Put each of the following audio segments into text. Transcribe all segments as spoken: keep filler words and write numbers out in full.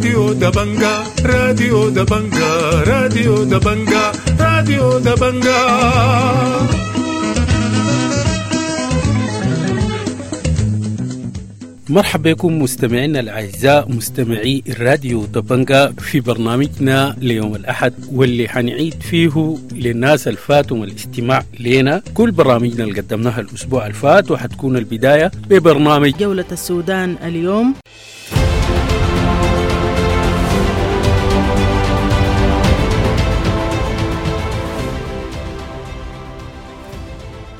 راديو دبنجا، راديو دبنجا، راديو دبنجا، راديو دبنجا. مرحبا بكم مستمعينا الأعزاء مستمعي الراديو دبنجا في برنامجنا ليوم الأحد، واللي حنعيد فيه للناس الفاتهم الاستماع لنا كل برامجنا اللي قدمناها الأسبوع الفات، وحتكون البداية ببرنامج جولة السودان اليوم.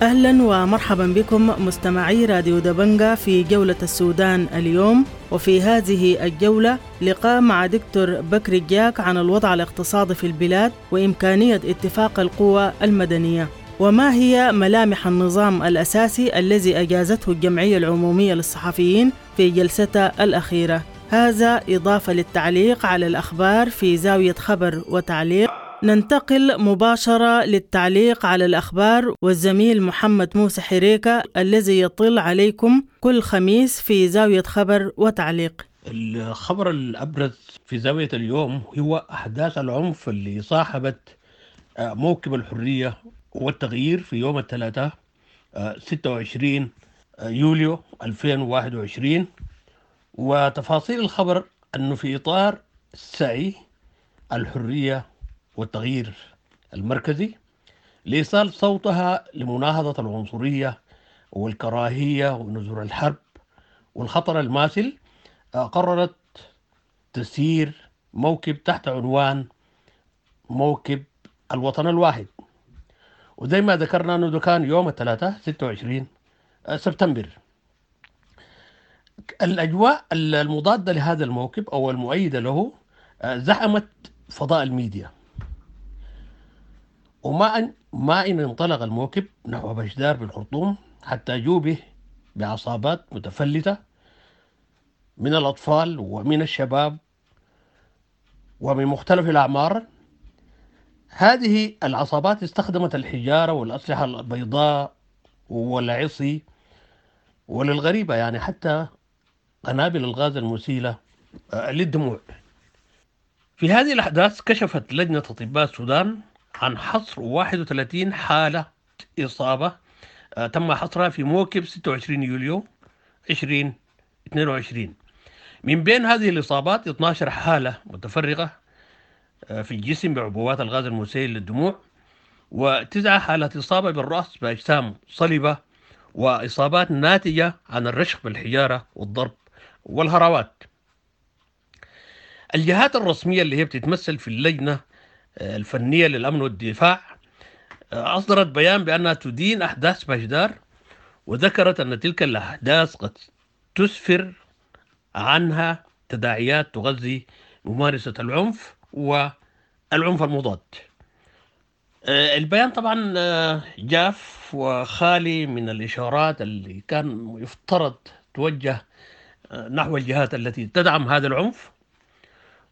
أهلا ومرحبا بكم مستمعي راديو دبنجا في جولة السودان اليوم، وفي هذه الجولة لقاء مع دكتور بكري جاك عن الوضع الاقتصادي في البلاد وإمكانية اتفاق القوى المدنية، وما هي ملامح النظام الأساسي الذي أجازته الجمعية العمومية للصحفيين في جلستها الأخيرة. هذا إضافة للتعليق على الأخبار في زاوية خبر وتعليق. ننتقل مباشرة للتعليق على الأخبار والزميل محمد موسى حريكة الذي يطل عليكم كل خميس في زاوية خبر وتعليق. الخبر الأبرز في زاوية اليوم هو أحداث العنف اللي صاحبت موكب الحرية والتغيير في يوم الثلاثاء ستة وعشرين يوليو ألفين وواحد وعشرين. وتفاصيل الخبر أنه في إطار سعي الحرية والتغيير المركزي لإيصال صوتها لمناهضة العنصرية والكراهية ونزور الحرب والخطر الماثل، قررت تسيير موكب تحت عنوان موكب الوطن الواحد. وزي ما ذكرنا أنه كان يوم الثلاثاء ستة وعشرين سبتمبر. الأجواء المضادة لهذا الموكب أو المؤيدة له زحمت فضاء الميديا، وما أن ما إن انطلق الموكب نحو بشدار بالخرطوم حتى جوبه بعصابات متفلتة من الأطفال ومن الشباب ومن مختلف الأعمار. هذه العصابات استخدمت الحجارة والأسلحة البيضاء والعصي، وللغريبة يعني حتى قنابل الغاز المسيلة للدموع. في هذه الأحداث كشفت لجنة أطباء السودان عن حصر واحد وثلاثين حالة إصابة تم حصرها في موكب ستة وعشرين يوليو ألفين واثنين وعشرين. من بين هذه الإصابات اثنتي عشرة حالة متفرقة في الجسم بعبوات الغاز المسيل للدموع، وتسعة حالات إصابة بالرأس بأجسام صلبة، وإصابات ناتجة عن الرشق بالحجارة والضرب والهراوات. الجهات الرسمية اللي هي بتتمثل في اللجنة الفنية للأمن والدفاع أصدرت بيان بأنها تدين أحداث بشدار، وذكرت أن تلك الأحداث قد تسفر عنها تداعيات تغذي ممارسة العنف والعنف المضاد. البيان طبعا جاف وخالي من الإشارات اللي كان يفترض توجه نحو الجهات التي تدعم هذا العنف،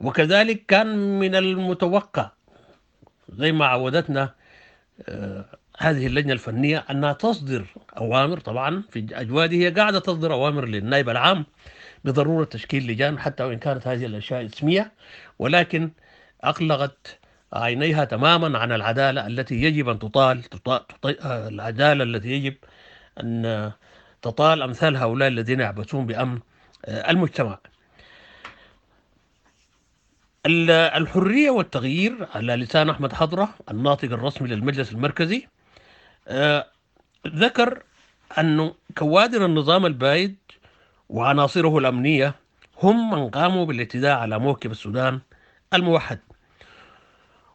وكذلك كان من المتوقع زي ما عودتنا هذه اللجنة الفنية أنها تصدر أوامر. طبعا في أجواد هي قاعدة تصدر أوامر للنائب العام بضرورة تشكيل لجان حتى وإن كانت هذه الأشياء اسمية، ولكن أقلقت عينيها تماما عن العدالة التي يجب أن تطال, تطال, تطال العدالة التي يجب أن تطال أمثال هؤلاء الذين يعبثون بأمن المجتمع. الحرية والتغيير على لسان أحمد حضرة الناطق الرسمي للمجلس المركزي آه ذكر أن كوادر النظام البايد وعناصره الأمنية هم من قاموا بالاعتداء على موكب السودان الموحد،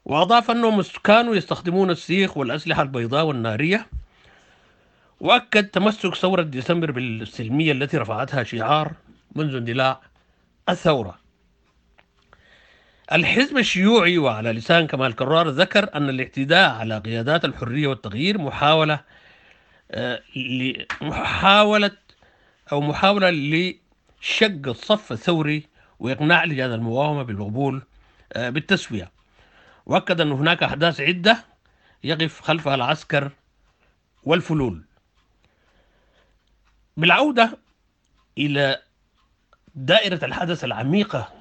وأضاف أنهم كانوا يستخدمون السيخ والأسلحة البيضاء والنارية. وأكد تمسك ثورة ديسمبر بالسلمية التي رفعتها شعار منذ اندلاع الثورة. الحزب الشيوعي وعلى لسان كمال كرار ذكر أن الاعتداء على قيادات الحرية والتغيير محاولة محاولة أو محاولة لشق الصف الثوري وإقناع لجان المقاومة بالقبول بالتسوية. وأكد أن هناك أحداث عدة يقف خلفها العسكر والفلول. بالعودة إلى دائرة الحدث العميقة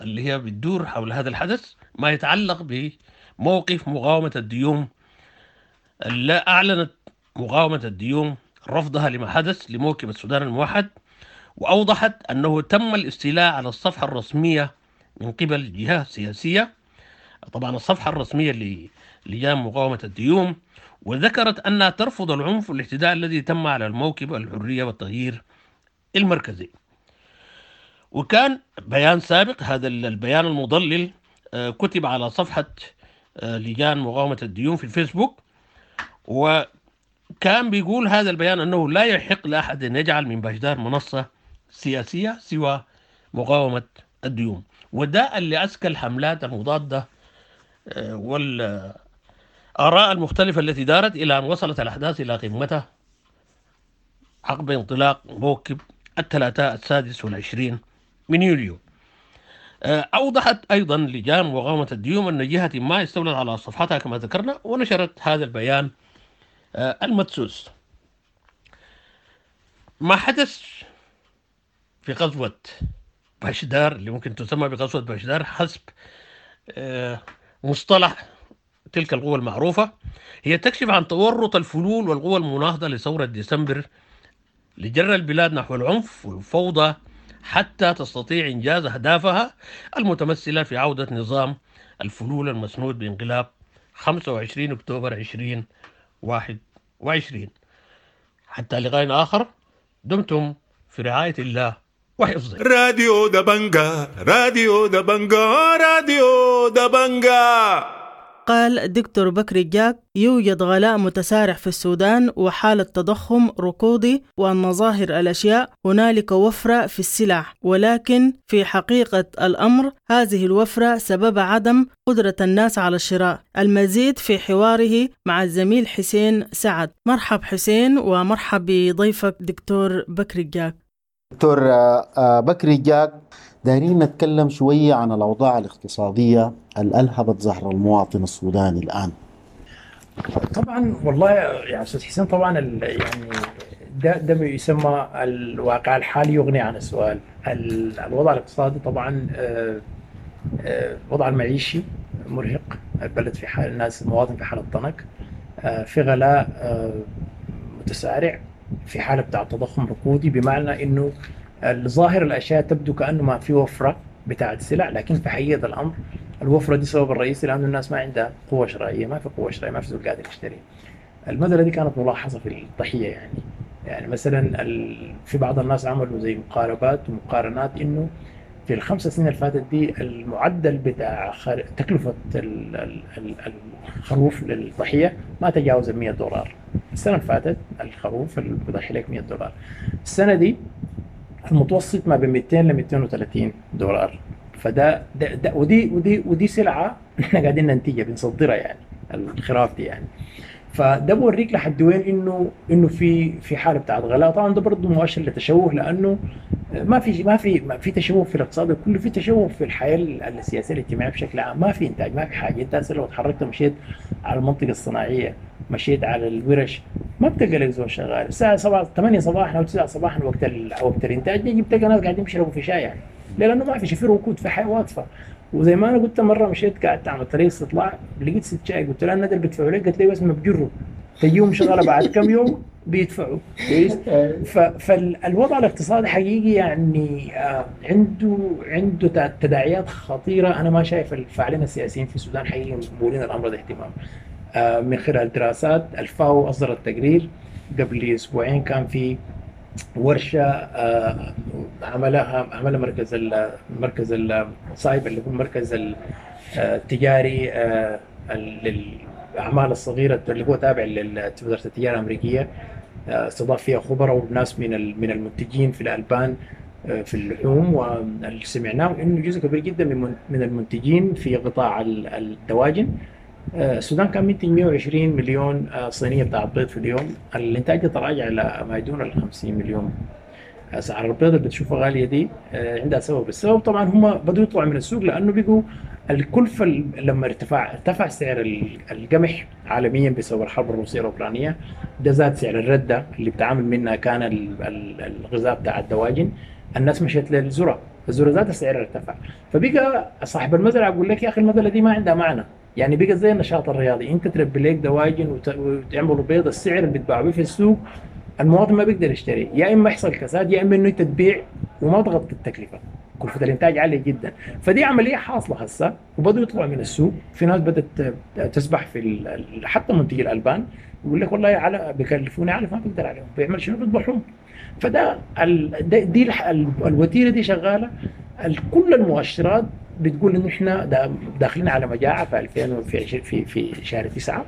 اللي هي بتدور حول هذا الحدث ما يتعلق بموقف مقاومة الديوم. لا أعلنت مقاومة الديوم رفضها لما حدث لموكب السودان الموحد، وأوضحت أنه تم الاستيلاء على الصفحة الرسمية من قبل جهة سياسية، طبعا الصفحة الرسمية للجان مقاومة الديوم، وذكرت أنها ترفض العنف والاعتداء الذي تم على الموكب الحرية والتغيير المركزي. وكان بيان سابق، هذا البيان المضلل كتب على صفحة لجان مقاومة الديون في الفيسبوك، وكان بيقول هذا البيان أنه لا يحق لأحد أن يجعل من باشدار منصة سياسية سوى مقاومة الديون، وده اللي أسكى الحملات المضادة والآراء المختلفة التي دارت إلى أن وصلت الأحداث إلى قمتها عقب انطلاق موكب الثلاثاء السادس والعشرين من يوليو. أوضحت أيضا لجان مقاومة الديوم أن جهة ما استولت على صفحتها كما ذكرنا، ونشرت هذا البيان المدسوس. ما حدث في غزوة باشدار اللي ممكن تسمى بغزوة باشدار حسب مصطلح تلك القوى المعروفة، هي تكشف عن تورط الفلول والقوى المناهضة لثورة ديسمبر لجر البلاد نحو العنف والفوضى حتى تستطيع إنجاز أهدافها المتمثلة في عودة نظام الفلول المسنود بانقلاب خمسة وعشرين أكتوبر عشرين واحد وعشرين. حتى لقاء آخر، دمتم في رعاية الله وحفظه. راديو دبنجا، راديو دبنجا، راديو دبنجا. قال دكتور بكري جاك: يوجد غلاء متسارع في السودان وحالة تضخم ركودي، وأن ظاهر الأشياء هنالك وفرة في السلع، ولكن في حقيقة الأمر هذه الوفرة سبب عدم قدرة الناس على الشراء. المزيد في حواره مع الزميل حسين سعد. مرحب حسين، ومرحب بضيفك دكتور بكري جاك. دكتور بكري جاك، دايرين نتكلم شوية عن الأوضاع الاقتصادية اللي ألهبت ظهر المواطن السوداني الآن. طبعا والله يا أستاذ حسين، طبعا يعني ده ده يسمى الواقع الحالي يغني عن السؤال. الوضع الاقتصادي طبعا الوضع المعيشي مرهق، البلد في حال، الناس المواطن في حالة ضنك، في غلاء متسارع، في حالة بتاع تضخم ركودي، بمعنى إنه الظاهر الأشياء تبدو كأنه ما في وفرة بتاعت سلع، لكن في حقيقة الأمر الوفرة دي سبب الرئيسي لأنه الناس ما عندها قوة شرائية، ما في قوة شرائية، ما في زول قادر يشتري. المسألة دي كانت ملاحظة في الضحية، يعني يعني مثلا في بعض الناس عملوا زي مقاربات ومقارنات إنه في الخمس سنين اللي فاتت دي المعدل بتاع تكلفة الخروف للضحية ما تجاوز المية دولار. السنة اللي فاتت الخروف اللي بضحي لك مية دولار، السنة دي المتوسط ما بين مئتين ل مئتين وثلاثين دولار. فده ده ده ودي ودي ودي سلعة احنا قاعدين ننتجها بنصدرها، يعني الخراف دي يعني. فده بوريك لحد وين انه انه في في حاله بتاعت غلاء. طبعا ده برضه مؤشر لتشوه، لانه ما في ما في ما في تشوه في الاقتصاد كله، في تشوه في الحياة السياسية الاجتماعية بشكل عام. ما في انتاج، ما في حاجة. انت لو تحركت مشيت على المنطقة الصناعية، مشيت على الورش، ما بتلقى لك زول شغال. الساعة سبعة ثمانية صباحا او تسعة صباحا وقت وقت الانتاج بيجي بتلقى ناس قاعدين يشربوا في شاي، يعني ليه؟ لانه ما في شيء، في ركود، في حياة واقفة. وزي ما انا قلت مرة مشيت قعدت على طريق استطلاع، لقيت ست شاي، قلت لها الندى اللي بيدفعوا لك؟ قالت لي بس ما بجروا، تجيهم شغله بعد كم يوم بيدفعوا. فالوضع الاقتصادي حقيقي يعني عنده عنده تداعيات خطيرة. انا ما شايف الفاعلين السياسيين في السودان حقيقي مولين الامر ده اهتمام. من خلال دراسات الفاو اصدرت تقرير قبل اسبوعين، كان في ورشه عملها عملها مركز المركز الصايب اللي هو المركز التجاري للاعمال الصغيرة اللي هو تابع لوزارة التجارة الامريكية، استضاف فيها خبراء وناس من من المنتجين في الالبان في اللحوم، واللي سمعناه انه جزء كبير جدا من من المنتجين في قطاع الدواجن. السودان كان منتج مئة وعشرين مليون صينية بتاعت بيض في اليوم، الانتاج تراجع الى ما دون ال خمسين مليون. اسعار البيض اللي بتشوفها غالية دي عندها سبب، السبب طبعا هم بدوا يطلعوا من السوق لانه بقوا الكلفة لما ارتفع ارتفع سعر القمح عالميا بسبب الحرب الروسية الاوكرانية، ده زاد سعر الردة اللي بتعامل منها كان الغذاء بتاع الدواجن، الناس مشيت للذره، الذرة ذاتها سعرها ارتفع. فبقى صاحب المزرعة يقول لك يا اخي المزرعة دي ما عندها معنى، يعني بقى زي النشاط الرياضي، انت تربي لك دواجن وتعملوا بيض، السعر اللي بتباع به في السوق المواطن ما بيقدر يشتري، يا اما يحصل كساد يا اما انه انت تبيع وما تغطي التكلفة، كلفه الانتاج عالية جدا. فدي عملية حاصله هسه وبدوا يطلعوا من السوق، في ناس بدات تسبح في حتى منتجي الالبان يقول لك والله على بيكلفوني علف ما بقدر عليهم، بيعمل شنو؟ بيذبحوهم. فده ال دي الوتيره دي شغالة، كل المؤشرات بتقول انه احنا داخلين على مجاعة في ألفين في في في شهر تسعة.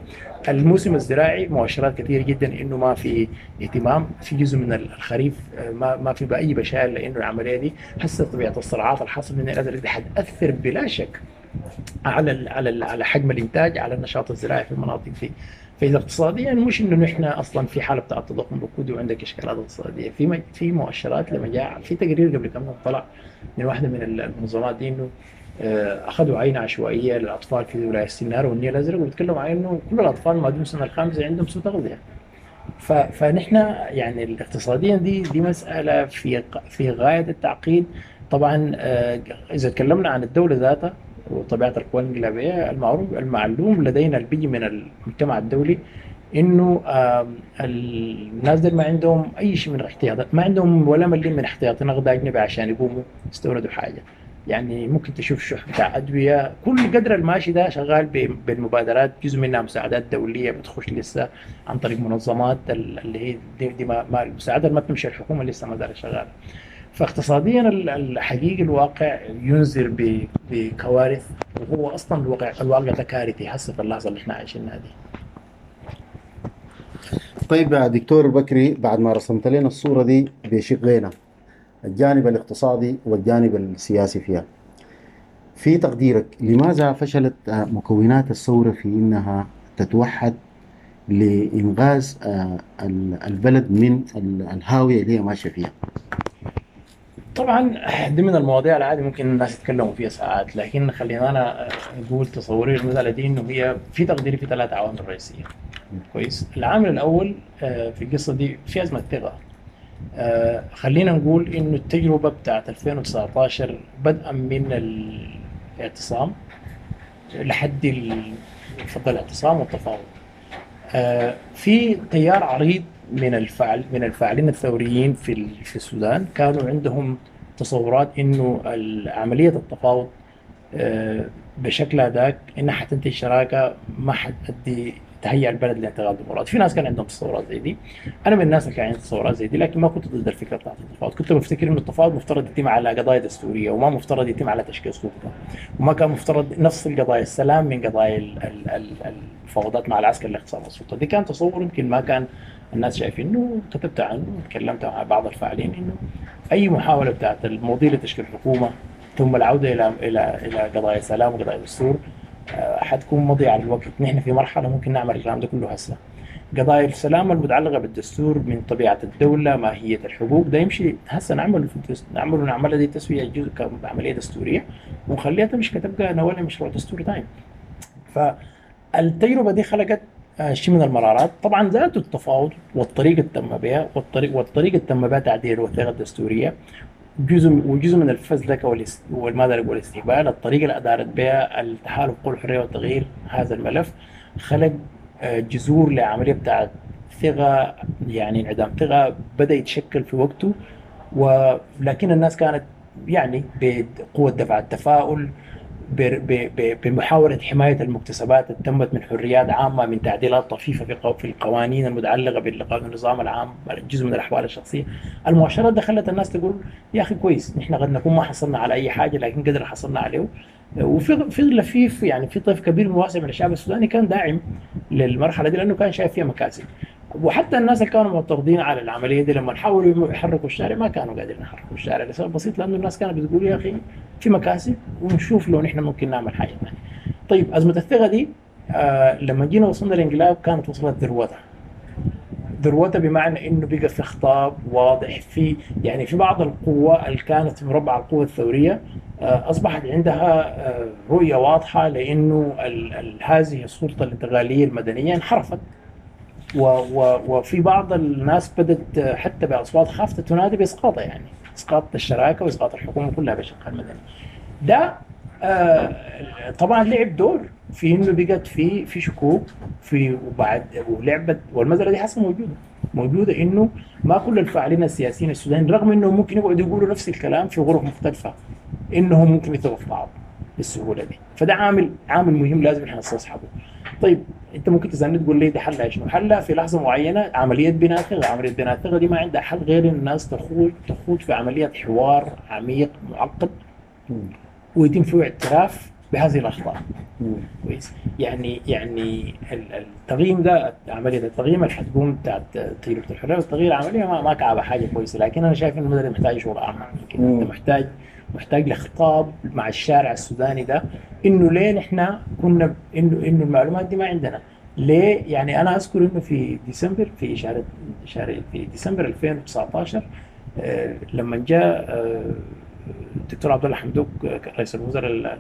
الموسم الزراعي مؤشرات كثيرة جدا انه ما في اهتمام، في جزء من الخريف ما ما في باي بشائر، لانه العملية دي هسه طبيعة الصراعات الحاصلة من الازرق دي حتاثر بلا شك على ال على ال على حجم الانتاج، على النشاط الزراعي في المناطق دي. فاذا اقتصاديا مش انه نحن اصلا في حاله بتاع تضخم ركودي وعندك اشكالات اقتصادية، في في مؤشرات لمجاعه. في تقرير قبل كم يوم طلع من واحدة من المنظمات دي انه اخذوا عينه عشوائية للاطفال في ولاية السنار والنيل الازرق، وبيتكلموا عن انه كل الاطفال ما دون سنة الخامسة عندهم سوء تغذية. فنحن يعني اقتصاديا دي دي مسالة في في غاية التعقيد. طبعا اذا تكلمنا عن الدولة ذاتها وطبيعه القوى الانقلابيه، المعروف المعلوم لدينا اللي بيجي من المجتمع الدولي انه الناس دول ما عندهم اي شيء من احتياطات، ما عندهم ولا مليم من احتياطي نقد اجنبي عشان يقوموا يستوردوا حاجة. يعني ممكن تشوف شح بتاع ادوية، كل قدر الماشي ده شغال بالمبادرات، جزء منها مساعدات دولية بتخش لسه عن طريق منظمات اللي هي دي, دي ما, ما المساعدات ما بتمشي الحكومة لسه ما زالت شغالة. فاقتصاديا الحقيقي الواقع ينذر بكوارث، وهو اصلا الواقع الواقع ده كارثي هسه في اللحظة اللي احنا عايشينها دي. طيب يا دكتور بكري، بعد ما رسمت لنا الصورة دي بشقينا، الجانب الاقتصادي والجانب السياسي فيها، في تقديرك لماذا فشلت مكونات الثورة في إنها تتوحد لإنغاز البلد من الهاوية اللي هي ماشية فيها؟ طبعا دي من المواضيع العادي ممكن الناس يتكلموا فيها ساعات، لكن خلينا أنا أقول تصوري المسألة دي إنه هي في تقديري في ثلاث عوامل رئيسية. كويس. العامل الأول في القصة دي في أزمة ثقة. آه خلينا نقول انه التجربة بتاعت ألفين وتسعتاشر بدءا من الاعتصام لحد فضل الاعتصام والتفاوض، آه في تيار عريض من الفعل من الفاعلين الثوريين في في السودان كانوا عندهم تصورات انه عملية التفاوض آه بشكلها ذاك انها حتنتج شراكة ما حتؤدي تهيئ البلد لانتقال ديمقراطي. في ناس كان عندهم تصورات زي دي، انا من الناس اللي كان عندي تصورات زي دي، لكن ما كنت ضد الفكرة بتاعت التفاوض. كنت بفتكر انه التفاوض مفترض يتم على قضايا دستورية وما مفترض يتم على تشكيل سلطة، وما كان مفترض نفصل قضايا السلام من قضايا المفاوضات مع العسكر لاختصار السلطة. دي كان تصور يمكن ما كان الناس شايفينه، كتبت عنه وتكلمت مع بعض الفاعلين انه اي محاولة بتاعت المضي لتشكيل حكومة ثم العودة الى الى الى قضايا سلام وقضايا دستور حتكون مضيعة للوقت. نحن في مرحلة ممكن نعمل الكلام ده كله هسه. قضايا السلام المتعلقة بالدستور من طبيعة الدولة، ماهية الحقوق، ده يمشي هسه نعمله في الدستور، نعمله نعملها دي تسوية جزء كعملية دستورية ونخليها تمشي كتبقى نولي مشروع دستوري تاني. فالتجربة دي خلقت شيء من المرارات. طبعا ذات التفاوض والطريقة اللي تم بها والطريق والطريقة اللي تم بها تعديل الوثيقة الدستورية جزء وجزء من الفزلكه والماذا والاستهبال، الطريقة اللي ادارت بها التحالف قوى الحرية والتغيير هذا الملف خلق جذور لعملية بتاعت ثقة، يعني انعدام ثقة بدا يتشكل في وقته، ولكن الناس كانت يعني بقوة دفع التفاؤل بمحاولة حماية المكتسبات اللي تمت من حريات عامة، من تعديلات طفيفة في القوانين المتعلقة بالنظام العام، جزء من الأحوال الشخصية. المؤشرات دخلت الناس تقول يا أخي كويس، نحن قد نكون ما حصلنا على أي حاجة لكن قدر حصلنا عليه. وفي في لفيف يعني في طيف كبير واسع من الشعب السوداني كان داعم للمرحلة دي لأنه كان شايف فيها مكاسب. وحتى الناس اللي كانوا معترضين على العملية دي لما حاولوا يحركوا الشارع ما كانوا قادرين يحركوا الشارع لسبب بسيط، لانه الناس كانت بتقول يا اخي في مكاسب ونشوف لو نحن ممكن نعمل حاجة ثانية. طيب ازمة الثقة دي آه لما جينا وصلنا للانقلاب كانت وصلت ذروتها. ذروتها بمعنى انه بقى في خطاب واضح، في يعني في بعض القوى اللي كانت في مربع القوى الثورية آه اصبحت عندها آه رؤية واضحة لانه هذه السلطة الانتقالية المدنية انحرفت. و و وفي بعض الناس بدت حتى باصوات خافته تنادي باسقاطها يعني. اسقاط الشراكة واسقاط الحكومة كلها بشقها المدني. ده آه طبعا لعب دور في انه بقت في في شكوك في وبعد ولعبت، والمسالة دي حسه موجودة موجودة انه ما كل الفاعلين السياسيين السودانيين رغم انهم ممكن يقعدوا يقولوا نفس الكلام في غرف مختلفة انهم ممكن يثقوا في بعض بالسهولة دي. فده عامل عامل مهم لازم احنا نستصحبه. طيب انت ممكن تسالني تقول لي ده حلها شنو؟ حلها في لحظة معينة عملية بناء ثقة، عملية بناء الثقة دي ما عندها حل غير ان الناس تخوض تخوض في عملية حوار عميق معقد ويتم فيه اعتراف بهذه الاخطاء. كويس؟ يعني يعني التغييم ده، عملية التغييم اللي حتقوم بتاعت تجربه الحرية والتغيير عملية ما, ما كعبه حاجة كويسة، لكن انا شايف انه المدرب محتاج شغل اعمق من كده. انت محتاج محتاج لخطاب مع الشارع السوداني ده انه ليه نحن كنا انه انه المعلومات دي ما عندنا ليه. يعني انا اذكر انه في ديسمبر في شهر شهر في ديسمبر ألفين وتسعة عشر آه لما جاء آه الدكتور عبد الله حمدوك رئيس الوزراء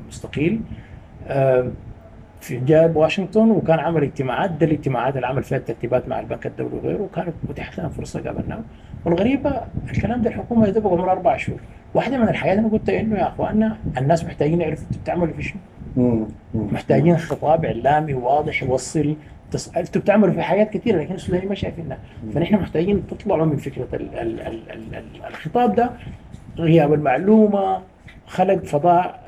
المستقيل في جاء واشنطن وكان عمل اجتماعات، ده الاجتماعات اللي عمل فيها الترتيبات مع البنك الدولي وغيره، وكانت اتيحت لنا فرصة قابلناه. والغريبة الكلام ده الحكومة يدبق عمر اربع شهور. واحدة من الحاجات انا قلت انه يا اخواننا الناس محتاجين يعرفوا انتوا بتعملوا في شنو، محتاجين خطاب اعلامي واضح يوصل تص... انتوا بتعملوا في حاجات كثيرة لكن السودانيين ما شايفينها، فنحن محتاجين تطلعوا من فكرة ال ال ال ال ال الخطاب ده. غياب المعلومة خلق فضاء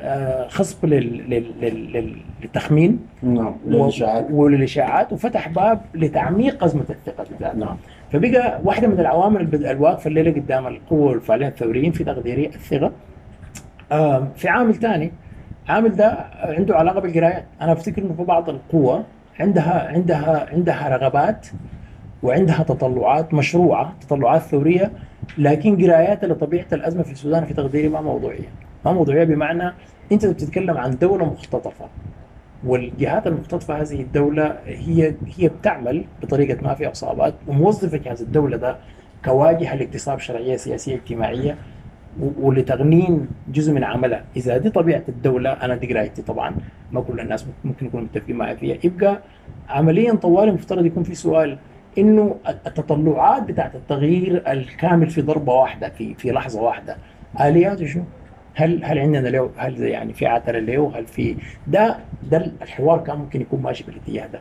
خصب لل... لل... لل... للتخمين، نعم، وللاشاعات وللاشاعات، وفتح باب لتعميق ازمة الثقة بالذات. نعم. فبقى واحدة من العوامل الواقفه الليلة قدام القوة والفاعلين الثوريين في تقديري الثقة. في عامل ثاني، عامل ده عنده علاقة بالقرايات. انا افتكر انه في بعض القوى عندها عندها عندها رغبات وعندها تطلعات مشروعه، تطلعات ثورية، لكن قراياتها لطبيعة الازمة في السودان في تقديري ما موضوعية. ما موضوعية بمعنى انت بتتكلم عن دولة مختطفه، والجهات المختطفه هذه الدولة هي هي بتعمل بطريقة ما في عصابات وموظفه جهاز الدولة ده كواجهه لاكتساب شرعية سياسية اجتماعية ولتغنين جزء من عملها. اذا دي طبيعة الدولة، انا دي قرايتي طبعا ما كل الناس ممكن يكونوا متفقين معي فيها، يبقى عمليا طوالي المفترض يكون في سؤال انه التطلعات بتاعت التغيير الكامل في ضربه واحدة في في لحظة واحدة الياته شنو؟ هل هل عندنا له، هل يعني في عترة له، هل في ده ده الحوار كان ممكن يكون ماشي بالاتجاه ده.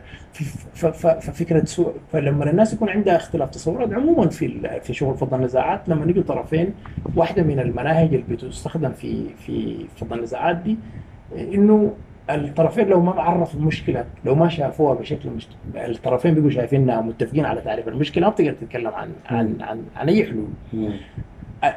ففكره سوء، فلما الناس يكون عندها اختلاف تصورات عموما في في شغل فض النزاعات، لما نيجي طرفين، واحدة من المناهج اللي بتستخدم في في فض النزاعات دي انه الطرفين لو ما عرفوا المشكلة، لو ما شافوها بشكل مشت... الطرفين بيبقوا شايفينها متفقين على تعريف المشكلة، ما بتقدر تتكلم عن عن عن, عن اي حلول.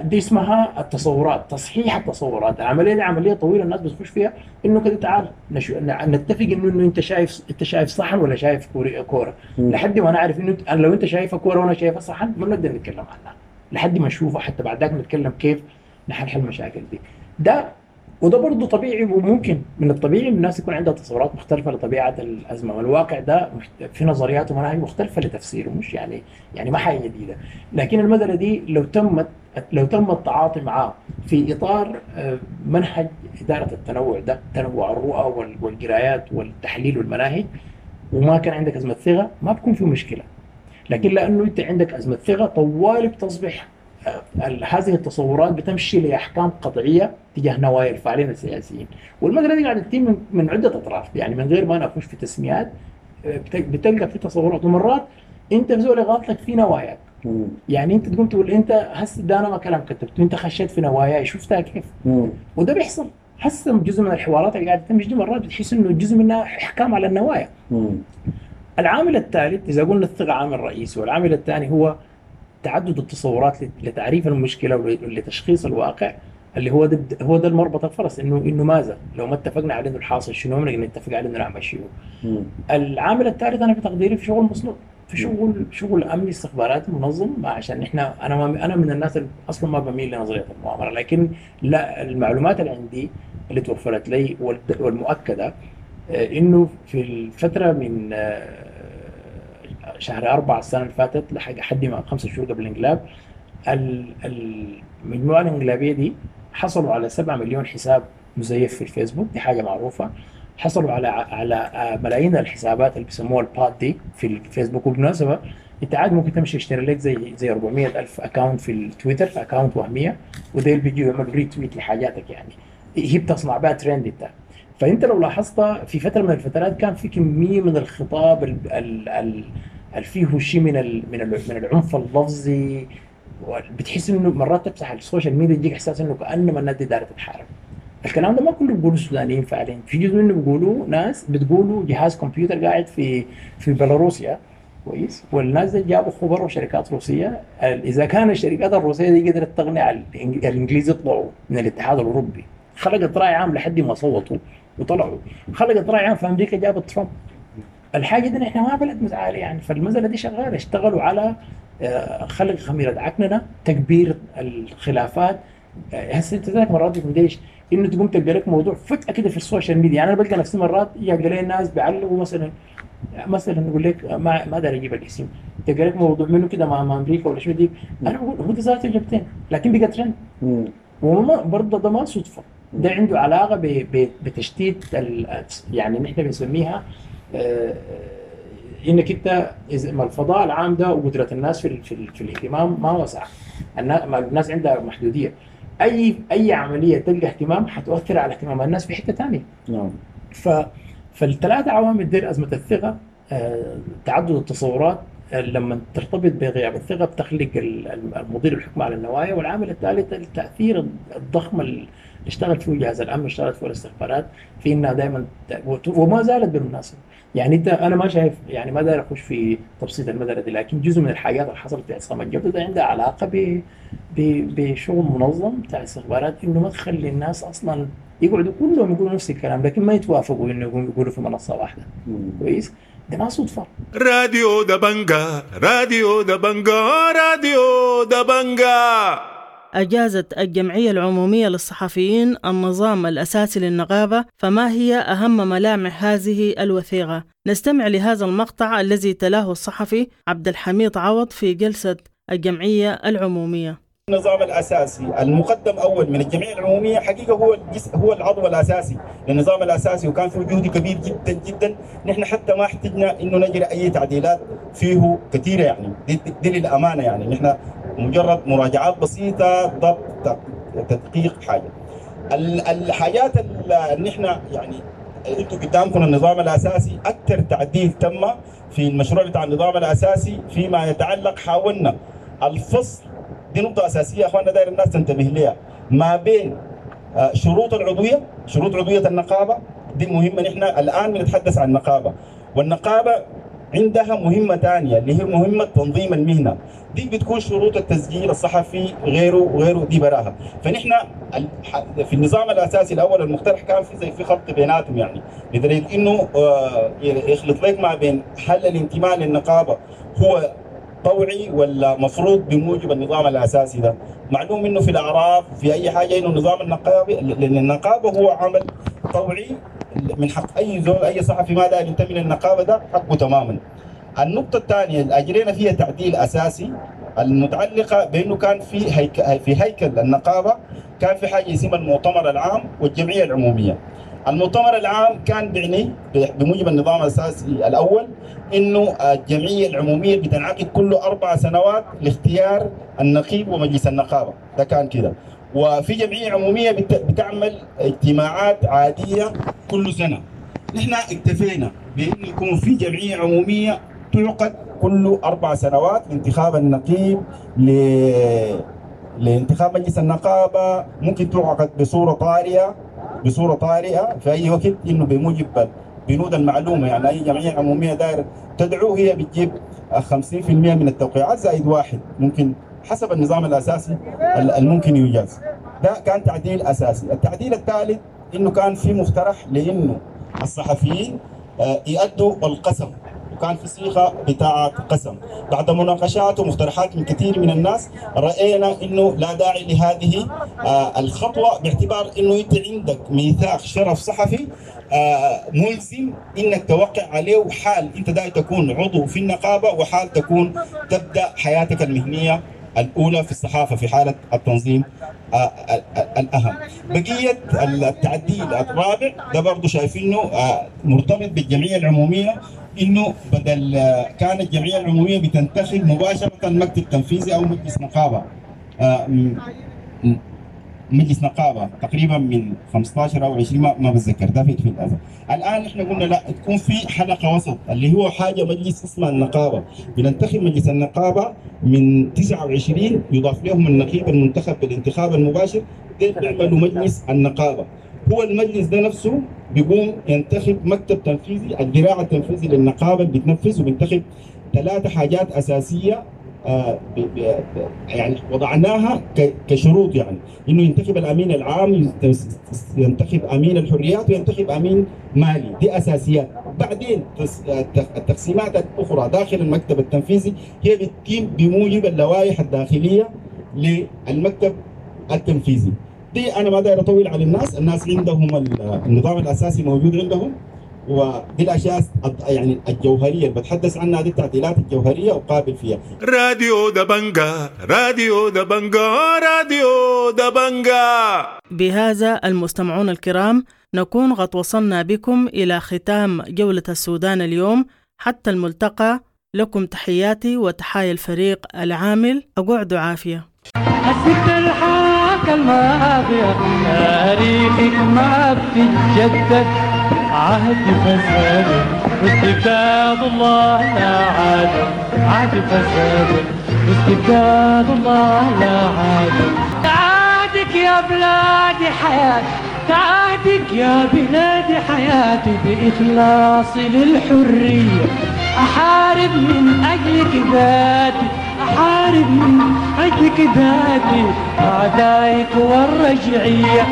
دي اسمها التصورات، تصحيح التصورات. العملية دي عملية طويلة الناس بتخش فيها انه كده تعال نشو... نتفق انه انه انت شايف انت شايف صحن ولا شايف كورة، لحد ما نعرف انه انا لو انت شايفها كورة وانا شايفها صحن ما بنقدر نتكلم عنها لحد ما نشوفها، حتى بعد ذاك نتكلم كيف نحل المشاكل دي. ده وده برضه طبيعي، وممكن من الطبيعي الناس يكون عندها تصورات مختلفة لطبيعة الازمة، والواقع ده في نظريات ومناهج مختلفة لتفسيره، مش يعني يعني ما حاجة جديدة. لكن المسالة دي لو تمت لو تم التعاطي معاه في اطار منهج ادارة التنوع ده، تنوع الرؤى والقرايات والتحليل والمناهج، وما كان عندك ازمة ثقة ما بكون في مشكلة. لكن لانه انت عندك ازمة ثقة طوالي بتصبح هذه التصورات بتمشي لاحكام قطعية تجاه نوايا الفاعلين السياسيين، والمسالة دي قاعدة تتم من عده اطراف، يعني من غير ما انا اخش في تسميات بتلقى في تصورات، ومرات انت بزول غلطك في نواياك. يعني انت تقوم تقول انت هسه ده انا ما كلام كتبته، انت خشيت في نواياي شفتها كيف؟ مم. وده بيحصل هسه جزء من الحوارات اللي قاعدة تمشي دي مرات بتحس انه جزء منها احكام على النوايا. مم. العامل الثالث، اذا قلنا الثقة عامل رئيسي، والعامل الثاني هو تعدد التصورات لتعريف المشكلة ولتشخيص الواقع، اللي هو ده هو ده المربط الفرس، انه انه ماذا لو ما اتفقنا على انه الحاصل شنو، بنقدر نتفق على انه نعمل شنو. العامل الثالث انا في تقديري في شغل مصنوع، في شغل شغل امني استخباراتي منظم، عشان احنا انا ما انا من الناس اللي اصلا ما بميل لنظرية المؤامرة، لكن لا المعلومات اللي عندي اللي توفرت لي والمؤكده انه في الفترة من شهر أربعة السنة اللي فاتت لحد ما خمسة شهور قبل الانقلاب، المجموعة الانقلابية دي حصلوا على سبعة مليون حساب مزيف في الفيسبوك، دي حاجة معروفة. حصلوا على على ملايين الحسابات اللي بيسموها ال bot دي في الفيسبوك. وبالمناسبة انت عاد ممكن تمشي تشتري لك زي زي أربعمية ألف account في التويتر، account وهمية، وديل بيجوا يعملوا retweet لحاجاتك، يعني هي بتصنع بها ترند انت. فانت لو لاحظت في فترة من الفترات كان في كمية من الخطاب ال ال ال ال فيه شيء من ال من ال من العنف اللفظي، بتحس انه مرات تفتح ال social media يجيك احساس انه كانما الناس دي دايرة تتحارب. الكلام ده ما كله بيقولوا السودانيين فعليا، في جزء منه بيقولوا ناس بتقولوا جهاز كمبيوتر قاعد في في بيلاروسيا، كويس، والناس دي جابوا خبراء وشركات روسية. اذا كان الشركات الروسية دي قدرت تقنع الانجليز يطلعوا من الاتحاد الاوروبي، خلقت راي عام لحد ما صوتوا وطلعوا، خلقت راي عام في امريكا جابت ترامب. الحاجة دي نحن ما بلد متعالي يعني، فالمسالة دي شغالة، اشتغلوا على خلق خميره عكننه، تكبير الخلافات. هسه انت ذاك مرات ليش انه تقوم تلقى لك موضوع فجاة كده في ال social media. يعني انا بلقى نفسي مرات يلقى لي الناس بيعلقوا مثلا مثلا يقول لك ما ما داري اجيب الاسم، تلقى لك موضوع منه كده مع امريكا ولا شو دي، انا بقول هو ده ذاته جبتين، لكن بقى ترند. وما برضه ده ما صدفة، ده عنده علاقة بتشتيت يعني نحن بنسميها آه انك انت اذا ما الفضاء العام ده وقدره الناس في في, في الاهتمام ما وسع، الناس عندها محدودية، اي اي عملية تلقى اهتمام حتؤثر على اهتمام الناس في حتة ثانية. نعم. ف فالثلاث عوامل دي، ازمة الثقة، آه، تعدد التصورات لما ترتبط بغياب الثقة بتخلق المضي الحكم على النوايا، والعامل الثالث التاثير الضخم اللي اشتغل فيه جهاز الامن واشتغلت فيه الاستخبارات في انها دائما وما زالت بالمناسبة. يعني انت انا ما شايف، يعني ما داير اخش في تبسيط المسالة دي، لكن جزء من الحاجات اللي حصلت في عصام الجودة ده عندها علاقة ب بشغل منظم بتاع استخبارات، انه ما تخلي الناس اصلا يقعدوا كلهم يقولوا نفس الكلام لكن ما يتوافقوا انه يقولوا في منصة واحدة. كويس، ده ما صدفة. راديو دبنجا، راديو دبنجا، راديو دبنجا. أجازت الجمعية العمومية للصحفيين النظام الأساسي للنقابة، فما هي أهم ملامح هذه الوثيقة؟ نستمع لهذا المقطع الذي تلاه الصحفي عبد الحميد عوض في جلسة الجمعية العمومية. النظام الأساسي المقدم أول من الجمعية العمومية حقيقة هو الجزء، هو العضو الأساسي للنظام الأساسي، وكان فيه جهد كبير جدا جدا. نحن حتى ما احتجنا إنه نجري أي تعديلات فيه كثيرة، يعني دي, دي للأمانة، يعني نحن مجرد مراجعات بسيطة، ضبط، تدقيق حاجة. الحاجات اللي نحن يعني انتم قدامكم النظام الأساسي، أكثر تعديل تم في المشروع بتاع النظام الأساسي فيما يتعلق، حاولنا الفصل، دي نقطة أساسية يا أخواننا داير الناس تنتبه لها، ما بين شروط العضوية، شروط عضوية النقابة دي مهمة. نحن الآن بنتحدث عن النقابة، والنقابة عندها مهمة ثانية اللي هي مهمة تنظيم المهنة، دي بتكون شروط التسجيل الصحفي غيره وغيره، دي براها. فنحن في النظام الأساسي الأول المقترح كان في زي في خلط بيناتهم، يعني لدرجة إنه يخلط لك ما بين هل الانتماء للنقابة هو طوعي ولا مفروض بموجب النظام الأساسي ده. معلوم إنه في الأعراف في أي حاجة إنه النظام النقابي للنقابة هو عمل طوعي، من حق أي زول أي صحفي ما داير ينتمي للنقابة ده حقه تماما. النقطة الثانية اللي أجرينا فيها تعديل أساسي المتعلقة بأنه كان في هيك في هيكل النقابة كان في حاجة اسمها المؤتمر العام والجمعية العمومية. المؤتمر العام كان بيعني بموجب النظام الأساسي الأول إنه الجمعية العمومية بتنعقد كل أربع سنوات لاختيار النقيب ومجلس النقابة، ده كان كده. وفي جمعية عمومية بتعمل اجتماعات عادية كل سنة. نحن اكتفينا بأنه يكون في جمعية عمومية تعقد كل أربع سنوات لانتخاب النقيب، ل... لانتخاب مجلس النقابة، ممكن تعقد بصورة طارئة بصورة طارئة في أي وقت، إنه بموجب بنود المعلومة، يعني أي جمعية عمومية داير تدعو هي بتجيب خمسين بالمئة من التوقيعات زائد واحد، ممكن حسب النظام الأساسي الممكن يجاز. ده كان تعديل أساسي. التعديل الثالث إنه كان في مقترح لإنه الصحفيين يؤدوا القسم، وكان في صيغة بتاعة قسم. بعد مناقشات ومقترحات من كثير من الناس رأينا إنه لا داعي لهذه الخطوة، باعتبار إنه أنت عندك ميثاق شرف صحفي ملزم إنك توقع عليه، وحال أنت داعي تكون عضو في النقابة، وحال تكون تبدأ حياتك المهنية الأولى في الصحافة في حالة التنظيم الأهم. بقية التعديل الرابع ده برضو شايفينه مرتبط بالجمعية العمومية، انه بدل كانت الجمعية العمومية بتنتخب مباشرة مكتب تنفيذي او مجلس نقابة، مجلس نقابة تقريبا من خمسة عشر او عشرين، ما, ما بتذكر ده في في الازل. الان احنا قلنا لا، تكون في حلقة وسط اللي هو حاجة مجلس اسمها النقابة، بننتخب مجلس النقابة من تسعة وعشرين يضاف لهم النقيب المنتخب بالانتخاب المباشر، ديل بيعملوا مجلس النقابة. هو المجلس ده نفسه بيقوم ينتخب مكتب تنفيذي، الذراع التنفيذي للنقابه اللي بتنفذ، وبينتخب ثلاثة حاجات اساسية آه يعني وضعناها كشروط، يعني انه ينتخب الامين العام، ينتخب امين الحريات، وينتخب امين مالي. دي اساسيات. بعدين التقسيمات الاخرى داخل المكتب التنفيذي هي بتتم بموجب اللوائح الداخلية للمكتب التنفيذي. دي انا ما داير اطول على الناس، الناس عندهم النظام الاساسي موجود عندهم، ودي الاشياء يعني الجوهرية اللي بتحدث عنها، دي التعديلات الجوهرية وقابل فيها. راديو دبنجا، راديو دبنجا، راديو دبنجا. بهذا المستمعون الكرام نكون قد وصلنا بكم إلى ختام جولة السودان اليوم. حتى الملتقى، لكم تحياتي وتحايا الفريق العامل، أقعدوا عافية. الست الحاكة الماضية تاريخك ما بتتجدد، عهد فساد واستبداد الله لا عاد، عهد فساد واستبداد الله لا عاد. تعادك يا بلادي حياتي، تعادك يا بلادي حياتي، بإخلاصي للحرية أحارب من أجلك ذاتي، أحارب من أجلك ذاتي أعدائك والرجعية،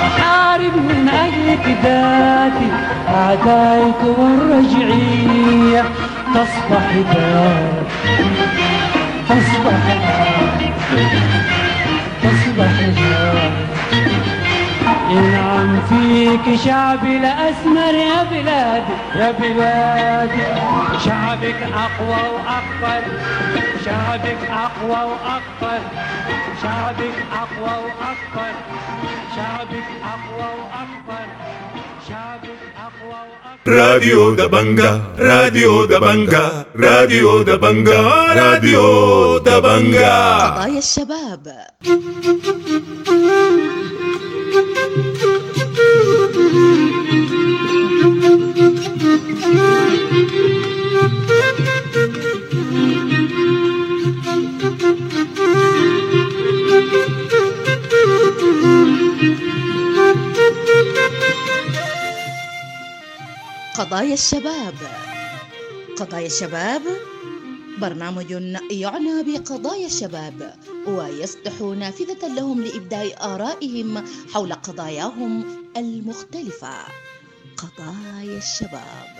أحارب من أجلك ذاتي أعدائك والرجعية. تصبح دار، تصبح دار، تصبح دار، ينعم فيك شعبي الأسمر يا بلادي يا بلادي. شعبك أقوى وأكبر، شعبك أقوى وأكبر، شعبك أقوى وأكبر، شعبك أقوى وأكبر، شعبك أقوى وأكبر. راديو دبنجا، راديو دبنجا، راديو دبنجا، راديو دبنجا. قضايا الشباب. قضايا الشباب، قضايا الشباب برنامج يعنى بقضايا الشباب ويفتح نافذة لهم لإبداء آرائهم حول قضاياهم المختلفة. قضايا الشباب.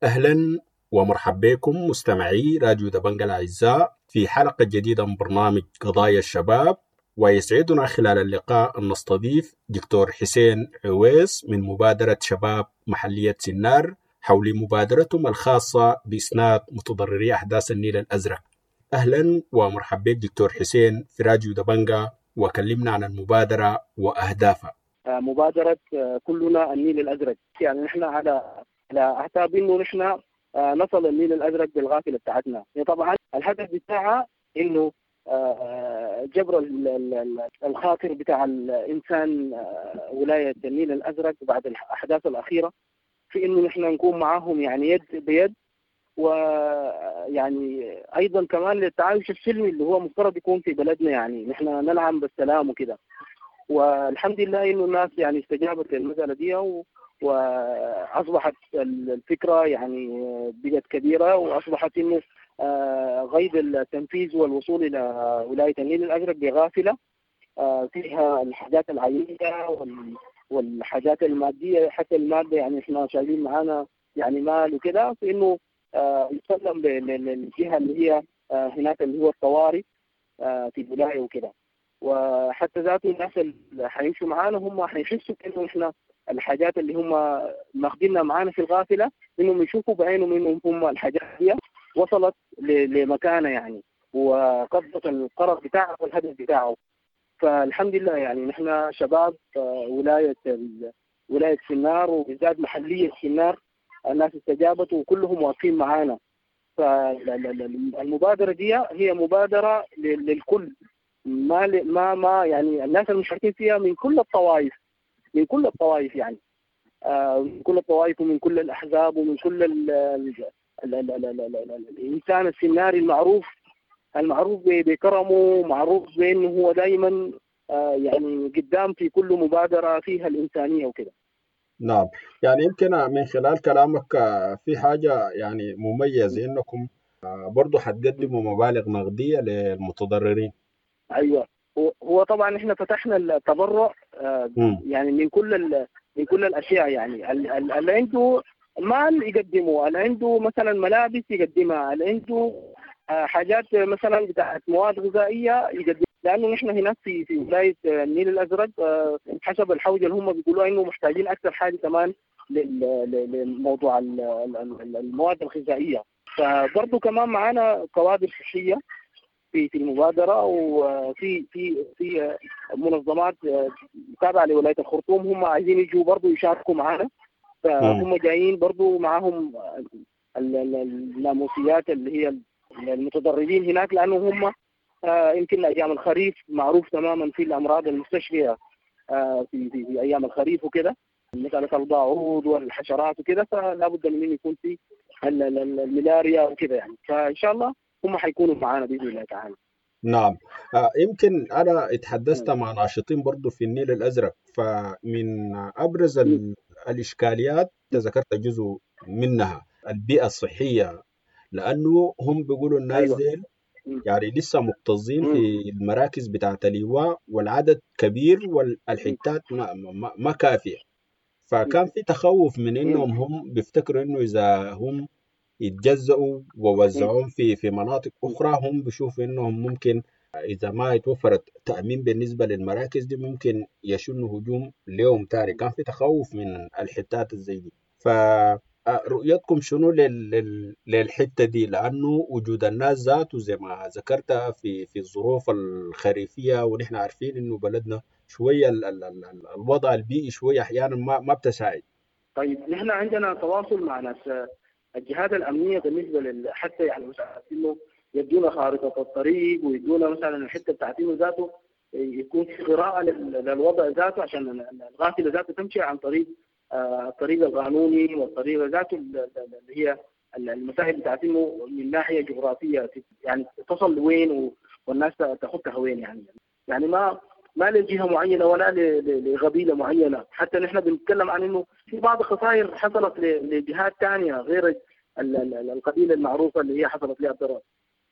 أهلا ومرحبا بكم مستمعي راديو دبنجا الأعزاء في حلقة جديدة من برنامج قضايا الشباب، ويسعدنا خلال اللقاء أن نستضيف دكتور حسين عويس من مبادرة شباب محلية سنار حول مبادرتهم الخاصة بإسناد متضرري أحداث النيل الأزرق. أهلا ومرحبا بك دكتور حسين في راديو دبنجا، وكلمنا عن المبادرة وأهدافها. مبادرة كلنا النيل الأزرق، يعني نحن على على أعتاب إنه نحن نصل النيل الأزرق بالغافلة بتاعتنا. طبعا الهدف بتاعها إنه جبر الخاطر بتاع الإنسان ولاية النيل الأزرق بعد الأحداث الأخيرة، في إنه نحن نكون معاهم يعني يد بيد، ويعني أيضا كمان للتعايش السلمي اللي هو مفترض يكون في بلدنا، يعني نحن ننعم بالسلام وكده. والحمد لله إنه الناس يعني استجابت للمسألة دي، و وأصبحت الفكرة يعني بقت كبيرة، وأصبحت إنه غيب التنفيذ والوصول إلى ولاية النيل الأزرق بغافلة فيها الحاجات العينية والحاجات المادية، حتى المادة يعني إحنا شايلين معانا يعني مال وكده، فإنه يسلم للجهة اللي هي هناك اللي هو الطوارئ في الولاية وكده. وحتى ذاته الناس اللي حيمشوا معانا هم حيحسوا إنه إحنا الحاجات اللي هم ماخدينها معانا في الغافلة إنهم يشوفوا بعينهم إنهم هم الحاجات دي وصلت لمكانة يعني، وقضت القرض بتاعه والهدف بتاعه. فالحمد لله يعني نحن شباب ولاية ولاية سنار وبالذات محلية سنار الناس استجابت وكلهم واقفين معانا. فالمبادرة دي هي مبادرة للكل، ما ما ما يعني الناس المشاركين فيها من كل الطوائف، من كل الطوائف يعني من كل الطوائف ومن كل الأحزاب ومن كل ال ال ال ال ال ال ال الإنسان السناري المعروف المعروف بكرمه، معروف بأنه هو دائما يعني قدام في كل مبادرة فيها الإنسانية وكده. نعم، يعني يمكن من خلال كلامك في حاجة يعني مميزة إنكم برضو حتقدموا مبالغ نقدية للمتضررين. أيوة، هو طبعا إحنا فتحنا التبرع يعني من كل من كل الأشياء، يعني اللي عنده مال يقدمه، اللي عنده مثلا ملابس يقدمها، اللي عنده حاجات مثلا بتاعت مواد غذائية يقدمها، لأنه نحن هناك في في ولاية النيل الأزرق حسب الحوجة اللي هم بيقولوا إنه محتاجين أكثر حاجة كمان لموضوع المواد الغذائية. فبرضه كمان معانا كوادر صحية في في المبادرة، وفي في في منظمات تابعة لولاية الخرطوم هم عايزين يجوا برضه يشاركوا معانا، فهم جايين برضه معاهم الناموسيات اللي هي المتضررين هناك، لأنه هم يمكن أيام الخريف معروف تماما في الأمراض المستشفية في في, في أيام الخريف وكده، مثلا الباعوض والحشرات وكده، فلا بد من يكون في الملاريا وكده يعني. فإن شاء الله هم حيكونوا معانا بإذن الله تعالى. نعم، يمكن أنا اتحدثت مع ناشطين برضو في النيل الأزرق، فمن أبرز الإشكاليات ذكرت جزء منها البيئة الصحية، لأنه هم بيقولوا الناس أيوة. ديل يعني لسه مكتظين في المراكز بتاعة اللواء والعدد كبير والحتات ما, ما, ما كافية، فكان في تخوف من إنهم هم بيفتكروا إنه إذا هم يتجزأوا ووزعوهم في في مناطق أخرى هم بيشوفوا إنهم ممكن إذا ما يتوفرت تأمين بالنسبة للمراكز دي ممكن يشنوا هجوم ليوم تاني. كان في تخوف من الحتات الزي دي، فرؤيتكم شنو لل... للحتة دي؟ لأنه وجود الناس ذاته زي ما ذكرت في في الظروف الخريفية، ونحن عارفين إنه بلدنا شوية ال... ال... ال... الوضع البيئي شوية أحيانا ما ما بتساعد. طيب نحن عندنا تواصل مع ناس الجهات الأمنية بالنسبة لل حتى يعني إنه يدونا خارطة الطريق ويدونا مثلا الحتة بتاعتين ذاته يكون في قراءة للوضع ذاته عشان الغافلة ذاته تمشي عن طريق الطريق القانوني والطريقة ذاته اللي هي المساهل بتاعتين من ناحية جغرافية، يعني تصل لوين والناس تاخدها وين، يعني يعني ما ما لجهة معينة ولا لقبيلة معينة. حتى نحن بنتكلم عن إنه في بعض الخسائر حصلت لجهات ثانية غير القبيلة المعروفة اللي هي حصلت لها الضرر.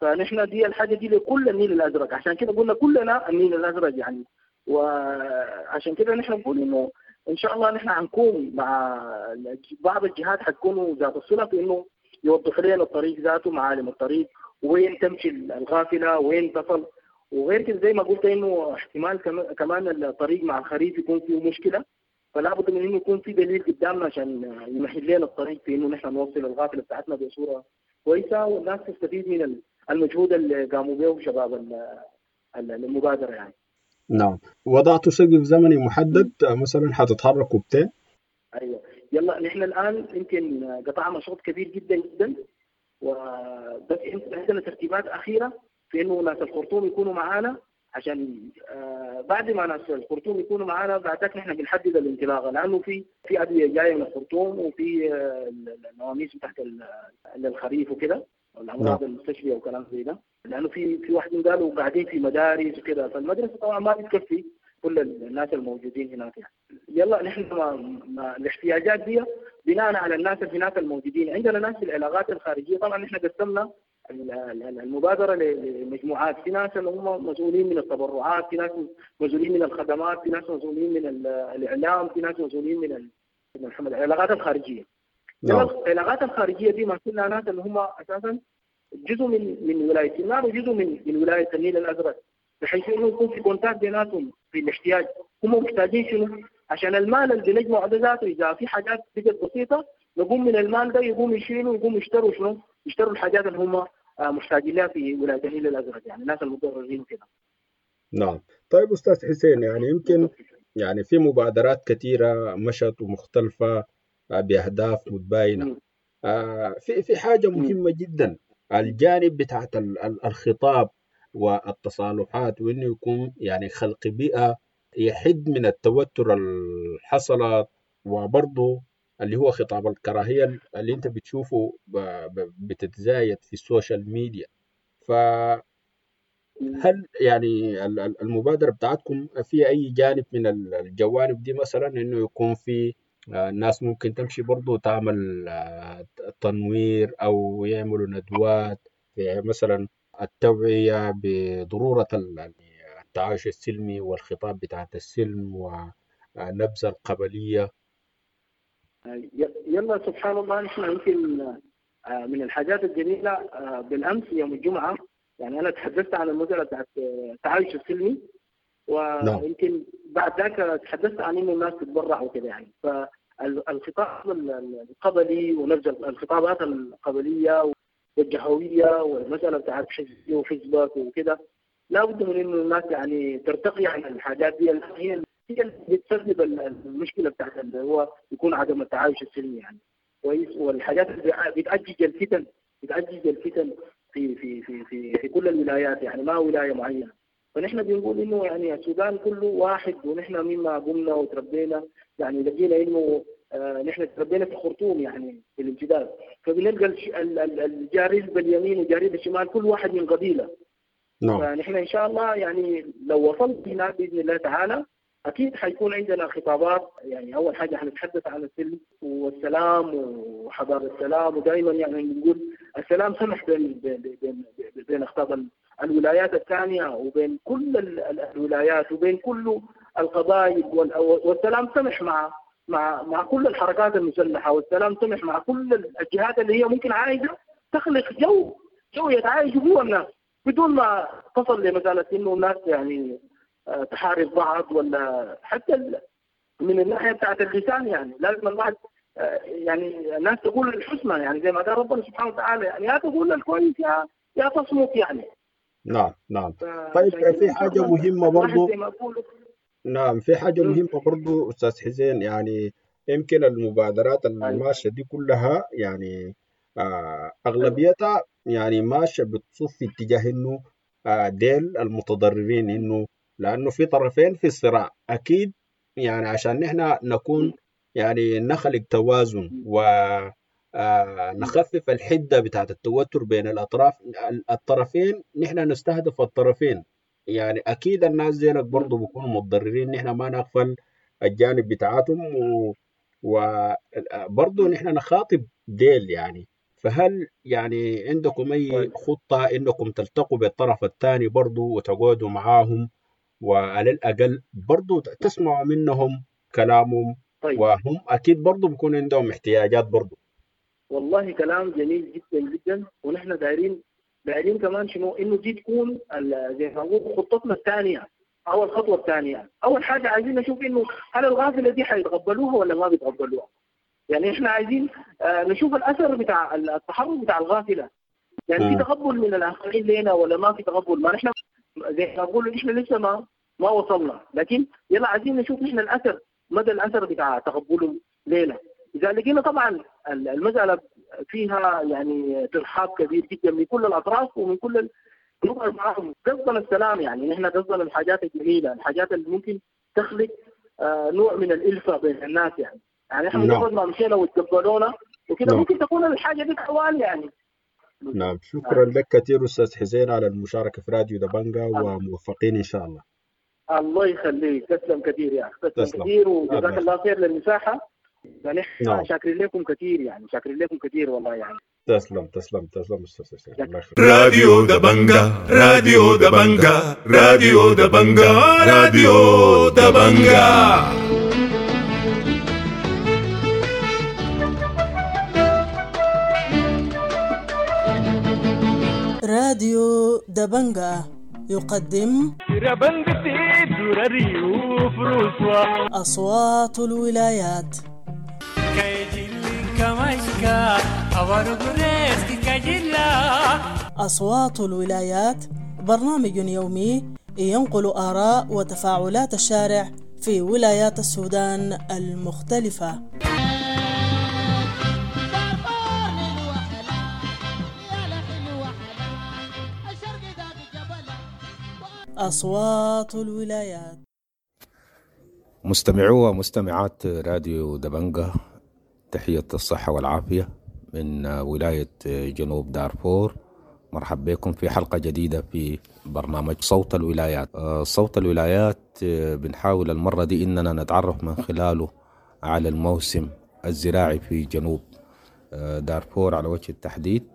فنحن دي الحاجة دي لكل النيل الأزرق، عشان كده قلنا كلنا النيل الأزرق يعني. وعشان كده نحن نقول إنه إن شاء الله نحن حنكون مع بعض الجهات حتكون ذات الصلة في إنه يوضح لنا الطريق ذاته، معالم الطريق، وين تمشي الغافلة، وين تصل. وغير كده زي ما قلت إنه احتمال كمان الطريق مع الخريف يكون فيه مشكلة، فلا بد من إنه يكون في دليل قدامنا عشان يمهد لنا الطريق في إنه نحن نوصل الغافلة بتاعتنا بصورة كويسة والناس تستفيد من المجهود اللي قاموا به شباب المبادرة يعني. نعم، وضعتوا سقف زمني محدد مثلا حتتحركوا بتين؟ ايوه، يلا نحن الان يمكن قطعنا شوط كبير جدا جدا، وبس عندنا ترتيبات اخيرة في انه ناس الخرطوم يكونوا معانا، عشان بعد ما ناس الخرطوم يكونوا معانا بعدك نحن بنحدد الانطلاقة، لانه في في ادوية جاية من الخرطوم وفي النواميس تحت الخريف وكده الامراض المستشفيه وكلام زي ده، لانه في في واحدين قالوا قاعدين في مدارس وكده، فالمدرسه طبعا ما بتكفي كل الناس الموجودين هناك يعني. يلا نحن ما ما الاحتياجات دي بناء على الناس اللي هناك الموجودين. عندنا ناس في العلاقات الخارجية، طبعا نحن قسمنا المبادرة لمجموعات، في ناس اللي هم مسؤولين من التبرعات، في ناس مسؤولين من الخدمات، في ناس مسؤولين من الاعلام، في ناس مسؤولين من العلاقات الخارجية. العلاقات الخارجية دي ماسكينها ناس اللي هم اساسا جزء من من ولاية سنار وجزء من من ولاية النيل الازرق، بحيث انه يكون في contact بيناتهم في الاحتياج، هم محتاجين شنو؟ عشان المال اللي بنجمعه ده ذاته اذا في حاجات بقت بسيطة نقوم من المال ده يقوم يشيلوا يقوم يشتروا شنو؟ يشتروا الحاجات اللي هم محتاجين لها في ولاية النيل الازرق، يعني الناس المتضررين وكده. نعم. طيب أستاذ حسين، يعني يمكن يعني في مبادرات كثيرة مشت ومختلفة بأهداف متباينة. آه في في حاجة مهمة جدا، الجانب بتاعت الخطاب والتصالحات، وإنه يكون يعني خلق بيئة يحد من التوتر اللي حصلت، وبرضه اللي هو خطاب الكراهية اللي انت بتشوفه بتتزايد في ال social media. فهل يعني المبادرة بتاعتكم في أي جانب من الجوانب دي، مثلا إنه يكون في الناس ممكن تمشي برضو تعمل تنوير أو يعملوا ندوات في مثلا التوعية بضرورة التعايش السلمي والخطاب بتاعت السلم ونبذ القبلية؟ يلا سبحان الله، نحن يمكن من الحاجات الجميلة بالأمس يوم الجمعة، يعني أنا تحدثت عن المسألة بتاعت التعايش السلمي، ويمكن بعد ذاك تحدثت عن إنه الناس تتبرع وكده يعني. فالخطاب القبلي ونبذ الخطابات القبلية والجهوية والمسألة بتاعت حزبي وحزبك وكده، لا بد من إنه الناس يعني ترتقي عن الحاجات دي، هي هي اللي بتسبب المشكلة بتاعت اللي هو يكون عدم التعايش السلمي يعني. كويس. والحاجات اللي بتأجج الفتن، بتأجج الفتن في في في في في كل الولايات، يعني ما ولاية معينة. فنحن بنقول انه يعني السودان كله واحد، ونحن مما قمنا وتربينا يعني لقينا انه آه نحن تربينا في الخرطوم يعني في الامتداد، فبنلقى الجاري باليمين والجاري بالشمال كل واحد من قبيلة. نعم. فنحن ان شاء الله يعني لو وصلت هناك باذن الله تعالى اكيد حيكون عندنا خطابات. يعني اول حاجة حنتحدث عن السلم والسلام وحضارة السلام، ودائما يعني بنقول السلام سمح بين بين بين بين اخطاب الولايات الثانية وبين كل الولايات وبين كل القبائل، والسلام سمح مع مع مع كل الحركات المسلحة، والسلام سمح مع كل الجهات اللي هي ممكن عايزه تخلق جو جو يتعايشوا جوا الناس بدون ما تصل لمسالة انه الناس يعني تحارب بعض، ولا حتى من الناحية بتاعت اللسان. يعني لازم الواحد يعني الناس تقول الحسنى، يعني زي ما قال ربنا سبحانه وتعالى، يعني يا تقول الكويس يا يا تصمت يعني. نعم نعم. طيب في حاجة مهمة برضو. نعم في حاجة مهمة برضو استاذ حسين، يعني يمكن المبادرات الماشية دي كلها يعني آه اغلبيتها يعني ماشية بتصف في اتجاه انه آه ديل المتضررين، انه لأنه في طرفين في الصراع أكيد، يعني عشان نحن نكون يعني نخلق توازن ونخفف الحدة بتاعت التوتر بين الأطراف الطرفين، نحن نستهدف الطرفين. يعني أكيد الناس ديلك برضو بيكونوا متضررين، نحن ما نغفل الجانب بتاعتهم، وبرضو نحن نخاطب ديل يعني. فهل يعني عندكم أي خطة إنكم تلتقوا بالطرف الثاني برضو وتقعدوا معاهم، وعلى الأقل برضو تسمعوا منهم كلامهم؟ طيب. وهم أكيد برضو بيكون عندهم احتياجات برضو. والله كلام جميل جدا جدا، ونحن دايرين دايرين كمان شنو إنه دي تكون زي ما نقول خطتنا الثانية أو الخطوة الثانية. أول حاجة عايزين نشوف إنه هل الغافلة دي حيتقبلوها ولا ما بيتقبلوها. يعني إحنا عايزين نشوف الأثر بتاع التحرك بتاع الغافلة، يعني في تقبل من الآخرين لنا ولا ما في تقبل. ما نحن زي ما نقول إحنا لسه ما ما وصلنا، لكن يلا عايزين نشوف نحن الأثر، مدى الأثر بتاع تقبلهم لنا. إذا لقينا طبعا المسألة فيها يعني ترحاب كبير جدا من كل الأطراف ومن كل نقعد معهم. قصدنا السلام، يعني نحن قصدنا الحاجات الجميلة، الحاجات اللي ممكن تخلق آه نوع من الألفة بين الناس. يعني يعني نحن مجرد ما مشينا وتقبلونا وكده ممكن تكون الحاجة دي حوالي يعني. نعم. شكرا لك كثير أستاذ حسين على المشاركة في راديو دبنجا، وموفقين إن شاء الله. الله يخليك، تسلم كثير يا أخي، تسلم كثير وجزاك الله خير للمساحة. يعني احنا شاكرين لكم كثير، يعني شاكرين لكم كثير والله يعني. تسلم تسلم تسلم أستاذ حسين، الله يخليك. راديو دبنجا، راديو دبنجا، راديو دبنجا، راديو دبنجا. راديو دبنجا يقدم أصوات الولايات. جلا. أصوات الولايات برنامج يومي ينقل آراء وتفاعلات الشارع في ولايات السودان المختلفة. أصوات الولايات. مستمعو ومستمعات راديو دبنجة، تحية الصحة والعافية من ولاية جنوب دارفور. مرحب بكم في حلقة جديدة في برنامج صوت الولايات. صوت الولايات بنحاول المرة دي إننا نتعرف من خلاله على الموسم الزراعي في جنوب دارفور على وجه التحديد.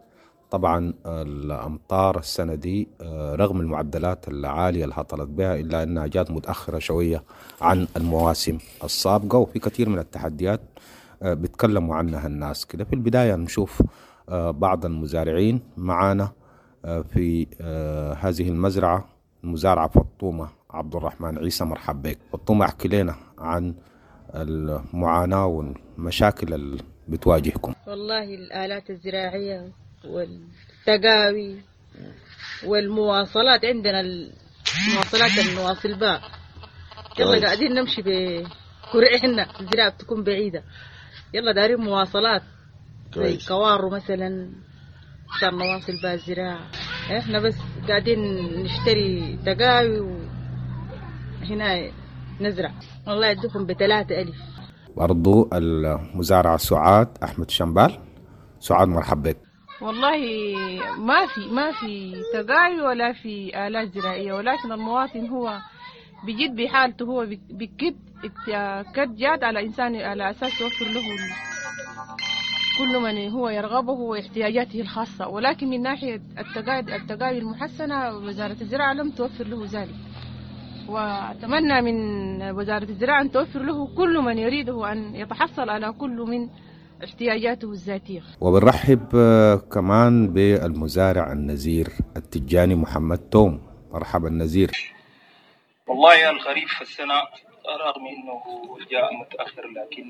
طبعا الأمطار السنة دي رغم المعدلات العالية اللي هطلت بها إلا أنها جات متأخرة شوية عن المواسم السابقة، وفي كثير من التحديات بيتكلموا عنها الناس كده. في البداية نشوف بعض المزارعين معانا في هذه المزرعة، المزارعة فطومة عبد الرحمن عيسى. مرحب بك فطومة، احكي لنا عن المعاناة والمشاكل اللي بتواجهكم. والله الآلات الزراعية والتقاوي والمواصلات، عندنا المواصلات النواصل باء، يلا قاعدين نمشي بكرعنا، الزراعة بتكون بعيدة، يلا دارين مواصلات زي كوارو مثلا عشان نواصل بها الزراعة. احنا بس قاعدين نشتري تقاوي وهنا نزرع. والله يدوكم بثلاثة ألف. برضو المزارعة سعاد أحمد شمبال. سعاد مرحب بك. والله ما في ما في تقاوي ولا في آلات زراعية، ولكن المواطن هو بجد بحالته، هو بكد كد جاد على إنسان على أساس يوفر له كل من هو يرغبه واحتياجاته الخاصة، ولكن من ناحية التقاوي التقاوي المحسنة وزارة الزراعة لم توفر له ذلك، وأتمنى من وزارة الزراعة أن توفر له كل من يريده أن يتحصل على كل من احتياجاته الذاتية. وبنرحب كمان بالمزارع النزير التجاني محمد توم. مرحبا النزير. والله الخريف السنة رغم أنه جاء متأخر لكن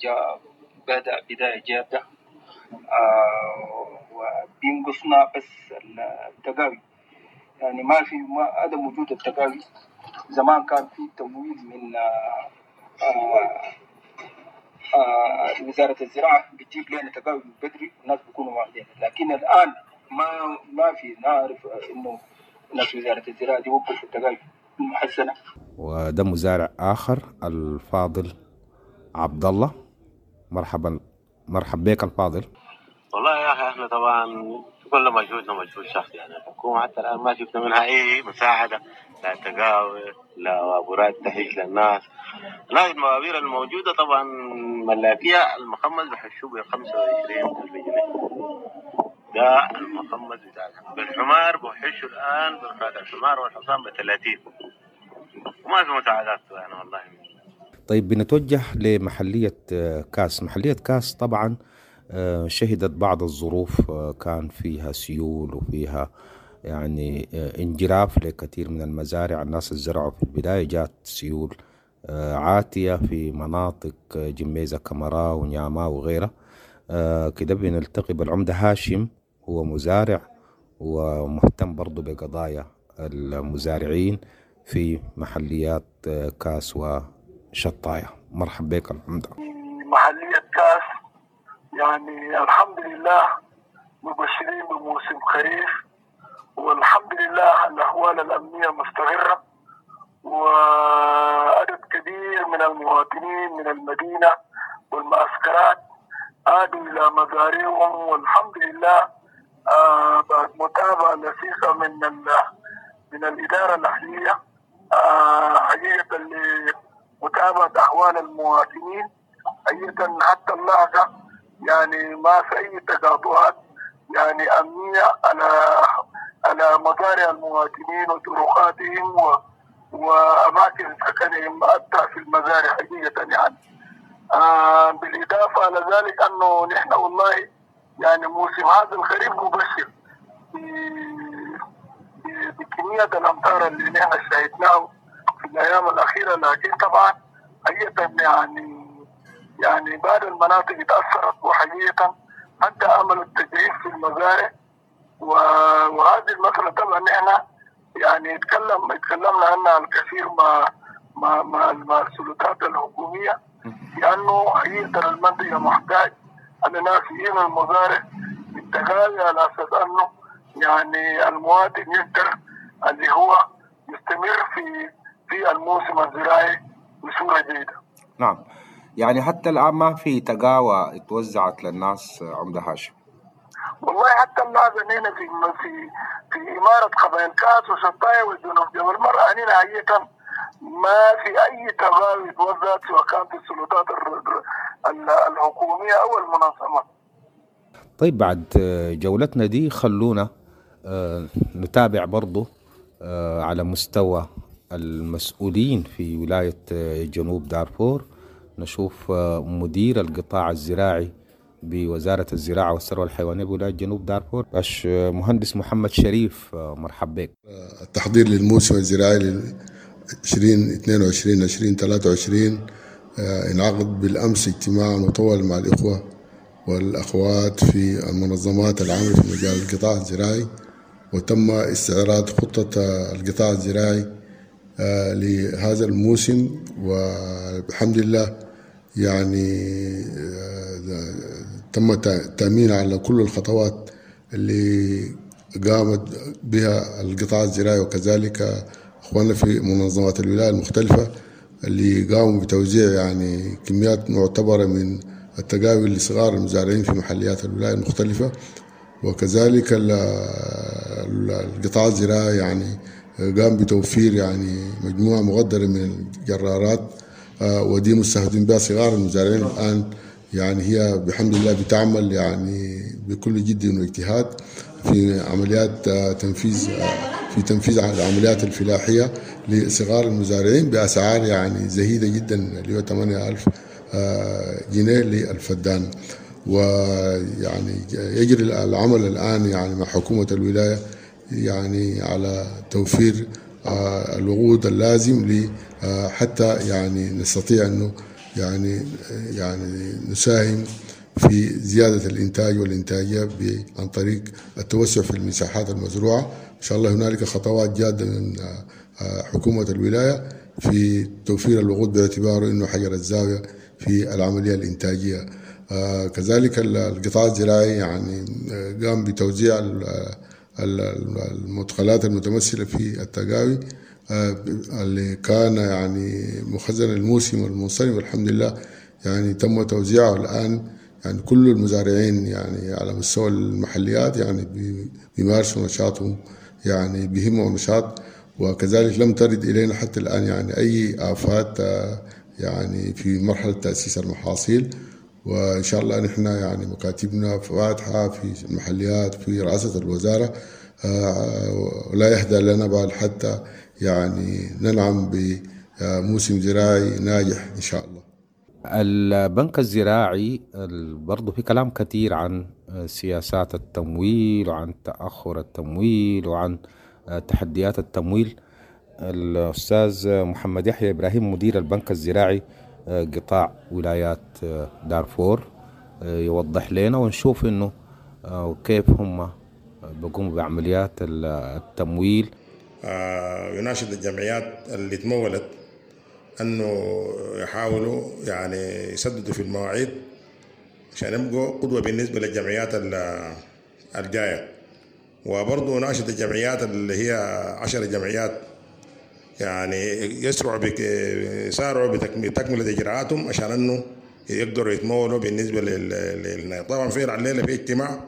جاء بدأ بداية جادة، آه وبينقصنا بس التقاوي، يعني ما في ما عدم وجود التقاوي. زمان كان في تمويل من آه آه آه وزارة الزراعة بتجيب لنا تقاوي من بدري والناس بيكونوا واخدين، لكن الآن ما ما في نعرف إنه ناس وزارة الزراعة دي وقفوا التقاوي المحسنة. وده مزارع آخر الفاضل عبد الله. مرحبا، مرحب بك الفاضل. والله يا اخي احنا طبعا كل مجهودنا مجهود شخصي، يعني الحكومه حتى الان ما شفنا منها اي مساعده، لا تقاوي لا وابورات تحيش للناس، لا الموابير الموجوده طبعا ملاكيه. المخمس بحشوه ب خمسة وعشرين ألف جنيه، ده المخمس بتاعنا. بالحمار بحشوا الان برفعة الحمار والحصان ب ثلاثين، وما في مساعدات يعني والله. طيب بنتوجه لمحلية كاس. محلية كاس طبعا شهدت بعض الظروف، كان فيها سيول وفيها يعني انجراف لكثير من المزارع. الناس الزرعوا في البداية جات سيول عاتية في مناطق جميزة كمرا ونياما وغيرها كده. بنلتقي بالعمدة هاشم، هو مزارع ومهتم برضو بقضايا المزارعين في محليات كاس و شطاية. مرحب بك العمدة. محلية كاس يعني الحمد لله مبشرين بموسم خريف، والحمد لله الأحوال الأمنية مستقرة، وعدد كبير من المواطنين من المدينة والمعسكرات عادوا إلى مزارعهم، والحمد لله آه بعد متابعة لصيقة من من الإدارة الأهلية آه حقيقة متابعة أحوال المواطنين حقيقة حتى اللحظة، يعني ما في أي تقاطعات يعني أمنية على على مزارع المواطنين وطرقاتهم و وأماكن سكنهم حتى في المزارع حقيقة يعني. آه بالإضافة على ذلك أنه نحن والله يعني موسم هذا الخريف مبشر بكمية الأمطار اللي نحن شاهدناه في الأيام الأخيرة، لكن طبعا حقيقة يعني يعني بعض المناطق تأثرت، وحقيقة حتى عملوا التجهيز في المزارع. وهذه المسألة طبعا نحن يعني اتكلم اتكلمنا عنها الكثير مع مع مع, مع السلطات الحكومية، لأنه حقيقة المنطقة محتاج أن الناس يجوا المزارع بالتغاوي على أساس أنه يعني المواطن يقدر اللي هو يستمر في في الموسم الزراعي بصورة جيدة. نعم، يعني حتى الآن ما في تقاوى اتوزعت للناس عمدة هاشم. والله حتى اللحظة هنا في في في إمارة قبائل كاس وشطاية وجنوب جبل مرة هنا حقيقة ما في أي تغاوي اتوزعت سواء كانت السلطات الحكومية أو المنظمات. طيب بعد جولتنا دي خلونا نتابع برضو على مستوى المسؤولين في ولاية جنوب دارفور، نشوف مدير القطاع الزراعي بوزارة الزراعة والثروة الحيوانية بولاية جنوب دارفور باش مهندس محمد شريف. مرحب بك. التحضير للموسم الزراعي ل عشرين اثنين وعشرين عشرين ثلاثة وعشرين انعقد بالأمس اجتماع مطول مع الإخوة والأخوات في المنظمات العاملة في مجال القطاع الزراعي، وتم استعراض خطة القطاع الزراعي لهذا الموسم، والحمد لله يعني تم التأمين على كل الخطوات اللي قامت بها القطاع الزراعي، وكذلك أخواننا في منظمات الولاية المختلفة اللي قاموا بتوزيع يعني كميات معتبرة من التقاوي لصغار المزارعين في محليات الولاية المختلفة، وكذلك القطاع الزراعي يعني قام بتوفير يعني مجموعة مقدرة من الجرارات، ودي مستهدفين بها صغار المزارعين الآن، يعني هي بحمد الله بتعمل يعني بكل جد واجتهاد في عمليات تنفيذ في تنفيذ العمليات الفلاحية لصغار المزارعين بأسعار يعني زهيدة جدا اللي هو ثمانية ألف جنيه للفدان. ويعني يجري العمل الآن يعني مع حكومة الولاية يعني على توفير الوقود اللازم حتى يعني نستطيع أنه يعني يعني نساهم في زيادة الإنتاج والإنتاجية عن طريق التوسع في المساحات المزروعة. إن شاء الله هنالك خطوات جادة من حكومة الولاية في توفير الوقود باعتباره أنه حجر الزاوية في العملية الإنتاجية. كذلك القطاع الزراعي يعني قام بتوزيع المدخلات المتمثلة في التقاوي اللي كان يعني مخزن الموسم المنصرم، والحمد لله يعني تم توزيعه الآن. يعني كل المزارعين يعني على مستوى المحليات يعني بيمارسوا نشاطهم يعني بهمة ونشاط، وكذلك لم ترد إلينا حتى الآن يعني أي آفات يعني في مرحلة تأسيس المحاصيل. وإن شاء الله نحن يعني مكاتبنا فاتحة في المحليات في رئاسة الوزارة، ولا يهدى لنا بال حتى يعني ننعم بموسم زراعي ناجح إن شاء الله. البنك الزراعي برضو في كلام كثير عن سياسات التمويل وعن تأخر التمويل وعن تحديات التمويل. الأستاذ محمد يحيى إبراهيم مدير البنك الزراعي قطاع ولايات دارفور يوضح لنا ونشوف إنه كيف هم بيقوموا بعمليات التمويل. يناشد الجمعيات اللي تمولت أنه يحاولوا يعني يسددوا في المواعيد عشان يبقوا قدوة بالنسبة للجمعيات الجاية. وبرضه ناشد الجمعيات اللي هي عشر جمعيات يعني يسرعوا بك يسارعوا بتكملة إجراءاتهم عشان أنه يقدروا يتمولوا بالنسبة لل طبعا في الليلة في اجتماع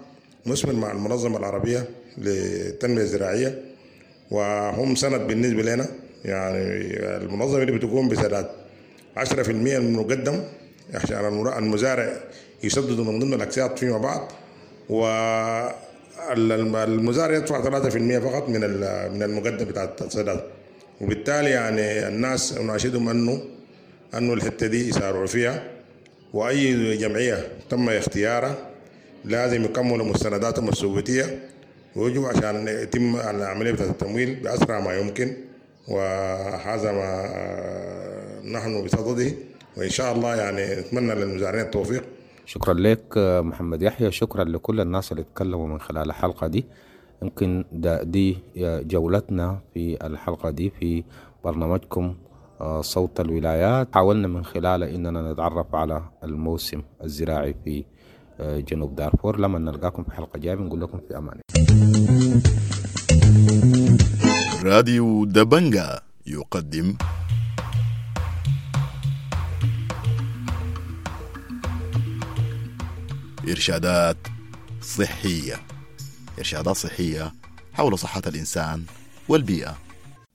مثمر مع المنظمة العربية للتنمية الزراعية، وهم سند بالنسبة لنا. يعني المنظمة اللي بتقوم بسداد عشرة في المية من المقدم عشان المزارع يسددوا من ضمن الأقساط فيما بعد، والمزارع يدفع ثلاثة في المية فقط من من المقدم بتاع السداد. وبالتالي يعني الناس ناشدهم أنه أنه الحتة دي يسارعوا فيها، وأي جمعية تم اختيارها لازم يكملوا مستنداتهم الثبوتية ويجوا عشان يتم العملية بتاعت التمويل بأسرع ما يمكن. وهذا ما نحن بصدده، وإن شاء الله يعني نتمنى للمزارعين التوفيق. شكرا لك محمد يحيى، شكرا لكل الناس اللي اتكلموا من خلال الحلقة دي. يمكن دي جولتنا في الحلقة دي في برنامجكم صوت الولايات، حاولنا من خلاله إننا نتعرف على الموسم الزراعي في جنوب دارفور. لما نلقاكم في حلقة جاية بنقول لكم في أمان. راديو دبنجا يقدم إرشادات صحية، إرشادات صحية حول صحة الإنسان والبيئة.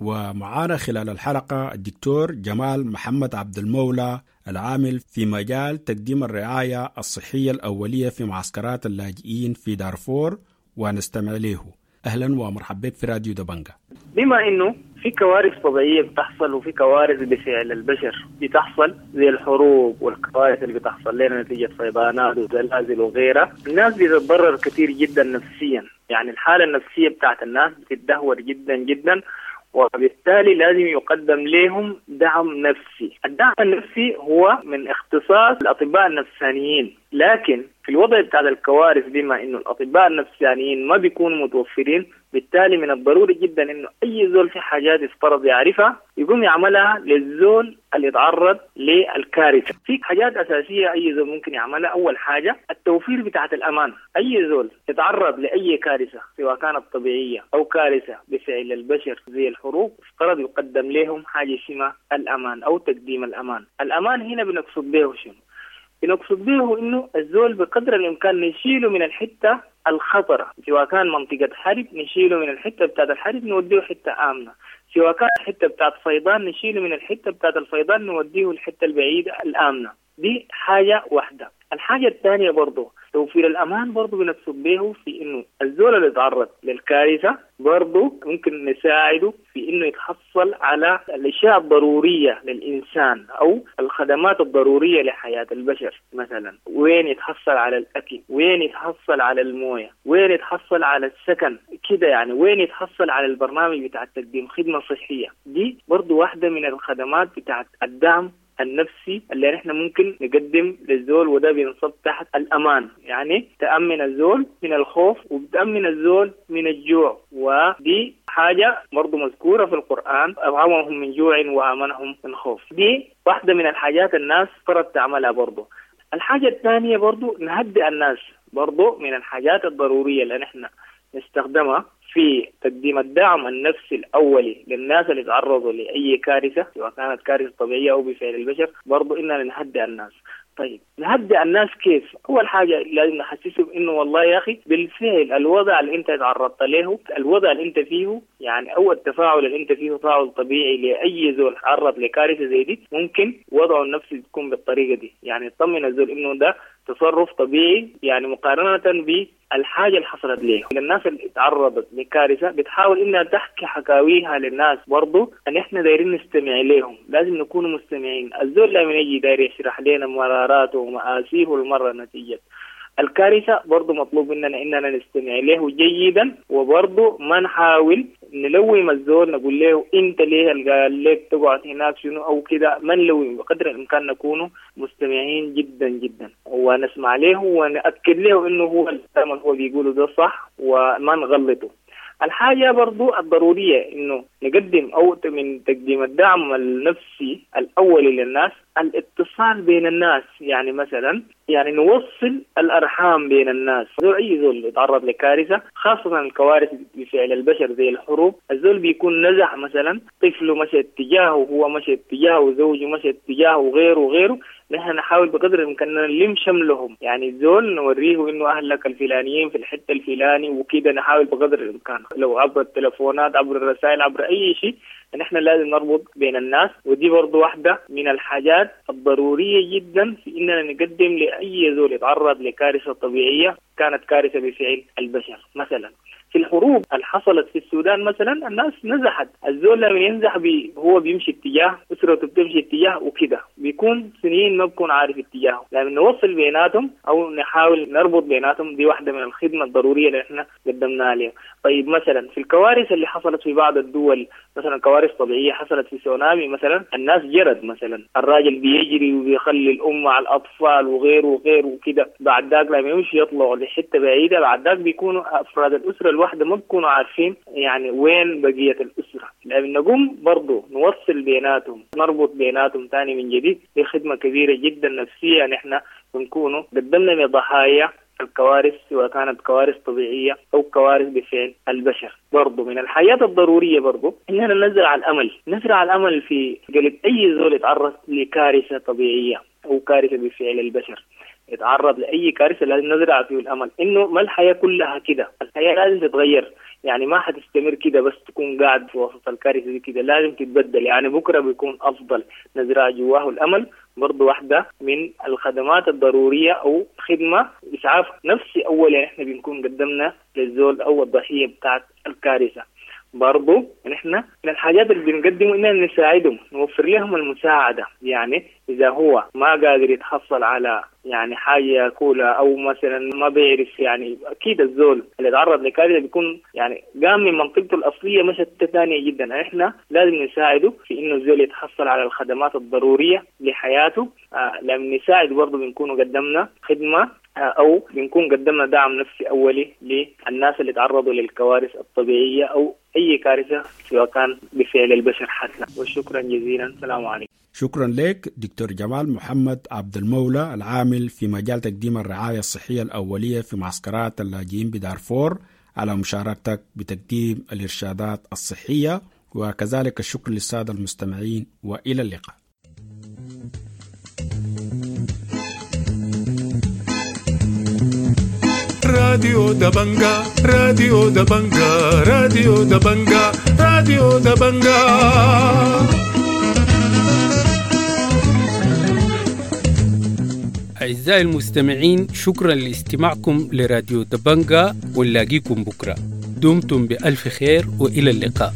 ومعانا خلال الحلقة الدكتور جمال محمد عبد المولى العامل في مجال تقديم الرعاية الصحية الأولية في معسكرات اللاجئين في دارفور، ونستمع له. أهلا ومرحبا بك في راديو دبنجا. بما إنه في كوارث طبيعية بتحصل وفي كوارث بفعل البشر بتحصل زي الحروب والكوارث اللي بتحصل لنا نتيجة فيضانات وزلازل وغيرها، الناس بتتضرر كثير جدا نفسيا، يعني الحالة النفسية بتاعت الناس بتتدهور جدا جدا، وبالتالي لازم يقدم لهم دعم نفسي. الدعم النفسي هو من اختصاص الأطباء النفسانيين، لكن في الوضع بتاع الكوارث بما إنه الأطباء النفسانيين ما بيكونوا متوفرين، بالتالي من الضروري جدا إنه أي زول في حاجات يفترض يعرفها يقوم يعملها للزول اللي يتعرض للكارثة. في حاجات أساسية أي زول ممكن يعملها. أول حاجة التوفير بتاعة الأمان. أي زول يتعرض لأي كارثة سواء كانت طبيعية أو كارثة بفعل البشر زي الحروب، افترض يقدم لهم حاجة اسمها الأمان أو تقديم الأمان. الأمان هنا بنقصد به شنو؟ بنقصد به إنه الزول بقدر الإمكان نشيله من الحتة الخطرة، سواء كان منطقة حرب نشيله من الحتة بتاعت الحرب نوديه حتة آمنة، سواء كان حتة بتاعت فيضان نشيله من الحتة بتاعت الفيضان نوديه الحتة البعيدة الآمنة. دي حاجة واحدة. الحاجة الثانية برضو توفير الأمان برضو بنقصد به في إنه الزول اللي يتعرض للكارثة برضو ممكن نساعده في إنه يتحصل على الأشياء الضرورية للإنسان أو الخدمات الضرورية لحياة البشر. مثلا وين يتحصل على الأكل، وين يتحصل على الموية، وين يتحصل على السكن كده، يعني وين يتحصل على البرنامج بتاع تقديم خدمة صحية. دي برضو واحدة من الخدمات بتاعت الدعم النفسي اللي نحن ممكن نقدم للزول، وده بينصب تحت الأمان، يعني تأمن الزول من الخوف وبتأمن الزول من الجوع، ودي حاجة برضو مذكورة في القرآن، أطعمهم من جوع وآمنهم من خوف. دي واحدة من الحاجات الناس فرض تعملها برضو. الحاجة الثانية برضو نهدئ الناس، برضو من الحاجات الضرورية اللي نحن نستخدمها في تقديم الدعم النفسي الأولي للناس اللي تعرضوا لأي كارثة سواء كانت كارثة طبيعية أو بفعل البشر، برضو إننا نهدئ الناس. طيب نهدئ الناس كيف؟ أول حاجة لازم نحسسهم إنه والله يا أخي بالفعل الوضع اللي أنت تعرضت له، الوضع اللي أنت فيه، يعني أو التفاعل اللي أنت فيه تفاعل طبيعي لأي زول تعرض لكارثة زي دي، ممكن وضعه النفسي تكون بالطريقة دي، يعني تطمن الزول إنه ده تصرف طبيعي، يعني مقارنة بالحاجة اللي حصلت ليه. الناس اللي تعرضت لكارثة بتحاول إنها تحكي حكاويها للناس، برضو أن إحنا دايرين نستمع لهم، لازم نكون مستمعين. الزول لما يجي داير يشرح لنا مراراته ومآسيه المرة نتيجة الكارثة، برضو مطلوب مننا إننا نستمع له جيدا، وبرضو ما نحاول نلوم الزول نقول له أنت ليه قال لك تقعد هناك شنو أو كده، ما نلوم، بقدر الإمكان نكون مستمعين جدا جدا ونسمع له ونأكد له إنه هو الكلام اللي هو بيقوله ده صح وما نغلطه. الحاجة برضو الضرورية إنه نقدم أو من تقديم الدعم النفسي الأولي للناس الاتصال بين الناس، يعني مثلا يعني نوصل الأرحام بين الناس. زول أي زول يتعرض لكارثة، خاصة الكوارث بفعل البشر زي الحروب، الزول بيكون نزح مثلا طفله مشى اتجاهه وهو مشى اتجاهه وزوجه مشى اتجاهه وغيره وغيره، نحن نحاول بقدر الإمكان نلم شملهم، يعني الزول نوريه إنه أهلك الفلانيين في الحتة الفلاني وكده، نحاول بقدر الإمكان لو عبر التلفونات عبر الرسائل عبر أي شيء، نحن لازم نربط بين الناس. ودي برضو واحدة من الحاجات الضرورية جدا في إننا نقدم لأي زول يتعرض لكارثة طبيعية كانت كارثة بفعل البشر. مثلا في الحروب اللي حصلت في السودان مثلا الناس نزحت، الزول لما ينزح بي هو بيمشي اتجاه، أسرته بتمشي اتجاه وكده، بيكون سنين ما بكون عارف اتجاهه. لما نوصل بيناتهم أو نحاول نربط بيناتهم، دي واحدة من الخدمة الضرورية اللي احنا قدمناها لهم. طيب مثلا في الكوارث اللي حصلت في بعض الدول، مثلا كوارث طبيعية حصلت في سونامي مثلا، الناس جرت مثلا، الراجل بيجري وبيخلي الأم مع الأطفال وغيره وغيره وكده، بعد ذاك لما يمشي يطلعوا لحتة بعيدة، بعد ذاك بيكونوا أفراد الأسرة الواحدة ما بيكونوا عارفين يعني وين بقية الأسرة. لما نقوم برضو نوصل بيناتهم، نربط بيناتهم تاني من جديد، دي خدمة كبيرة جدا نفسية نحن بنكونوا قدمنا لضحايا الكوارث، سواء كانت كوارث طبيعية أو كوارث بفعل البشر. برضو من الحياة الضرورية برضو إننا نزرع الأمل، نزرع الأمل في قلب أي زول يتعرض لكارثة طبيعية أو كارثة بفعل البشر، يتعرض لأي كارثة لازم نزرع فيه الأمل إنه ما الحياة كلها كده، الحياة لازم تتغير، يعني ما حتستمر كده بس تكون قاعد في وسط الكارثة دي كده، لازم تتبدل، يعني بكرة بيكون أفضل. نزرع جواه الأمل برضو واحدة من الخدمات الضرورية أو خدمة إسعاف نفسي أولا إحنا بنكون قدمنا للزول أو الضحية بتاعت الكارثة. برضو نحن من الحاجات اللي بنقدمه إننا نساعدهم، نوفر لهم المساعدة، يعني إذا هو ما قادر يتحصل على يعني حاجة ياكلها أو مثلا ما بيعرف، يعني أكيد الزول اللي تعرض لكارثة بيكون يعني قام من منطقته الأصلية مشت ثانية جدا، إحنا لازم نساعده في إنه الزول يتحصل على الخدمات الضرورية لحياته. آه لما نساعد برضو بنكون قدمنا خدمة أو بنكون قدمنا دعم نفسي أولي للناس اللي تعرضوا للكوارث الطبيعية أو أي كارثة سواء كان بفعل البشر حتى. وشكرا جزيلا، السلام عليكم. شكرا لك دكتور جمال محمد عبد المولى، العامل في مجال تقديم الرعاية الصحية الأولية في معسكرات اللاجئين بدارفور، على مشاركتك بتقديم الإرشادات الصحية، وكذلك الشكر للسادة المستمعين، وإلى اللقاء. راديو دبنجا، راديو دبنجا، راديو دبنجا، راديو دبنجا. أعزائي المستمعين، شكرا لاستماعكم لراديو دبنجا، ونلاقيكم بكرة. دمتم بألف خير وإلى اللقاء.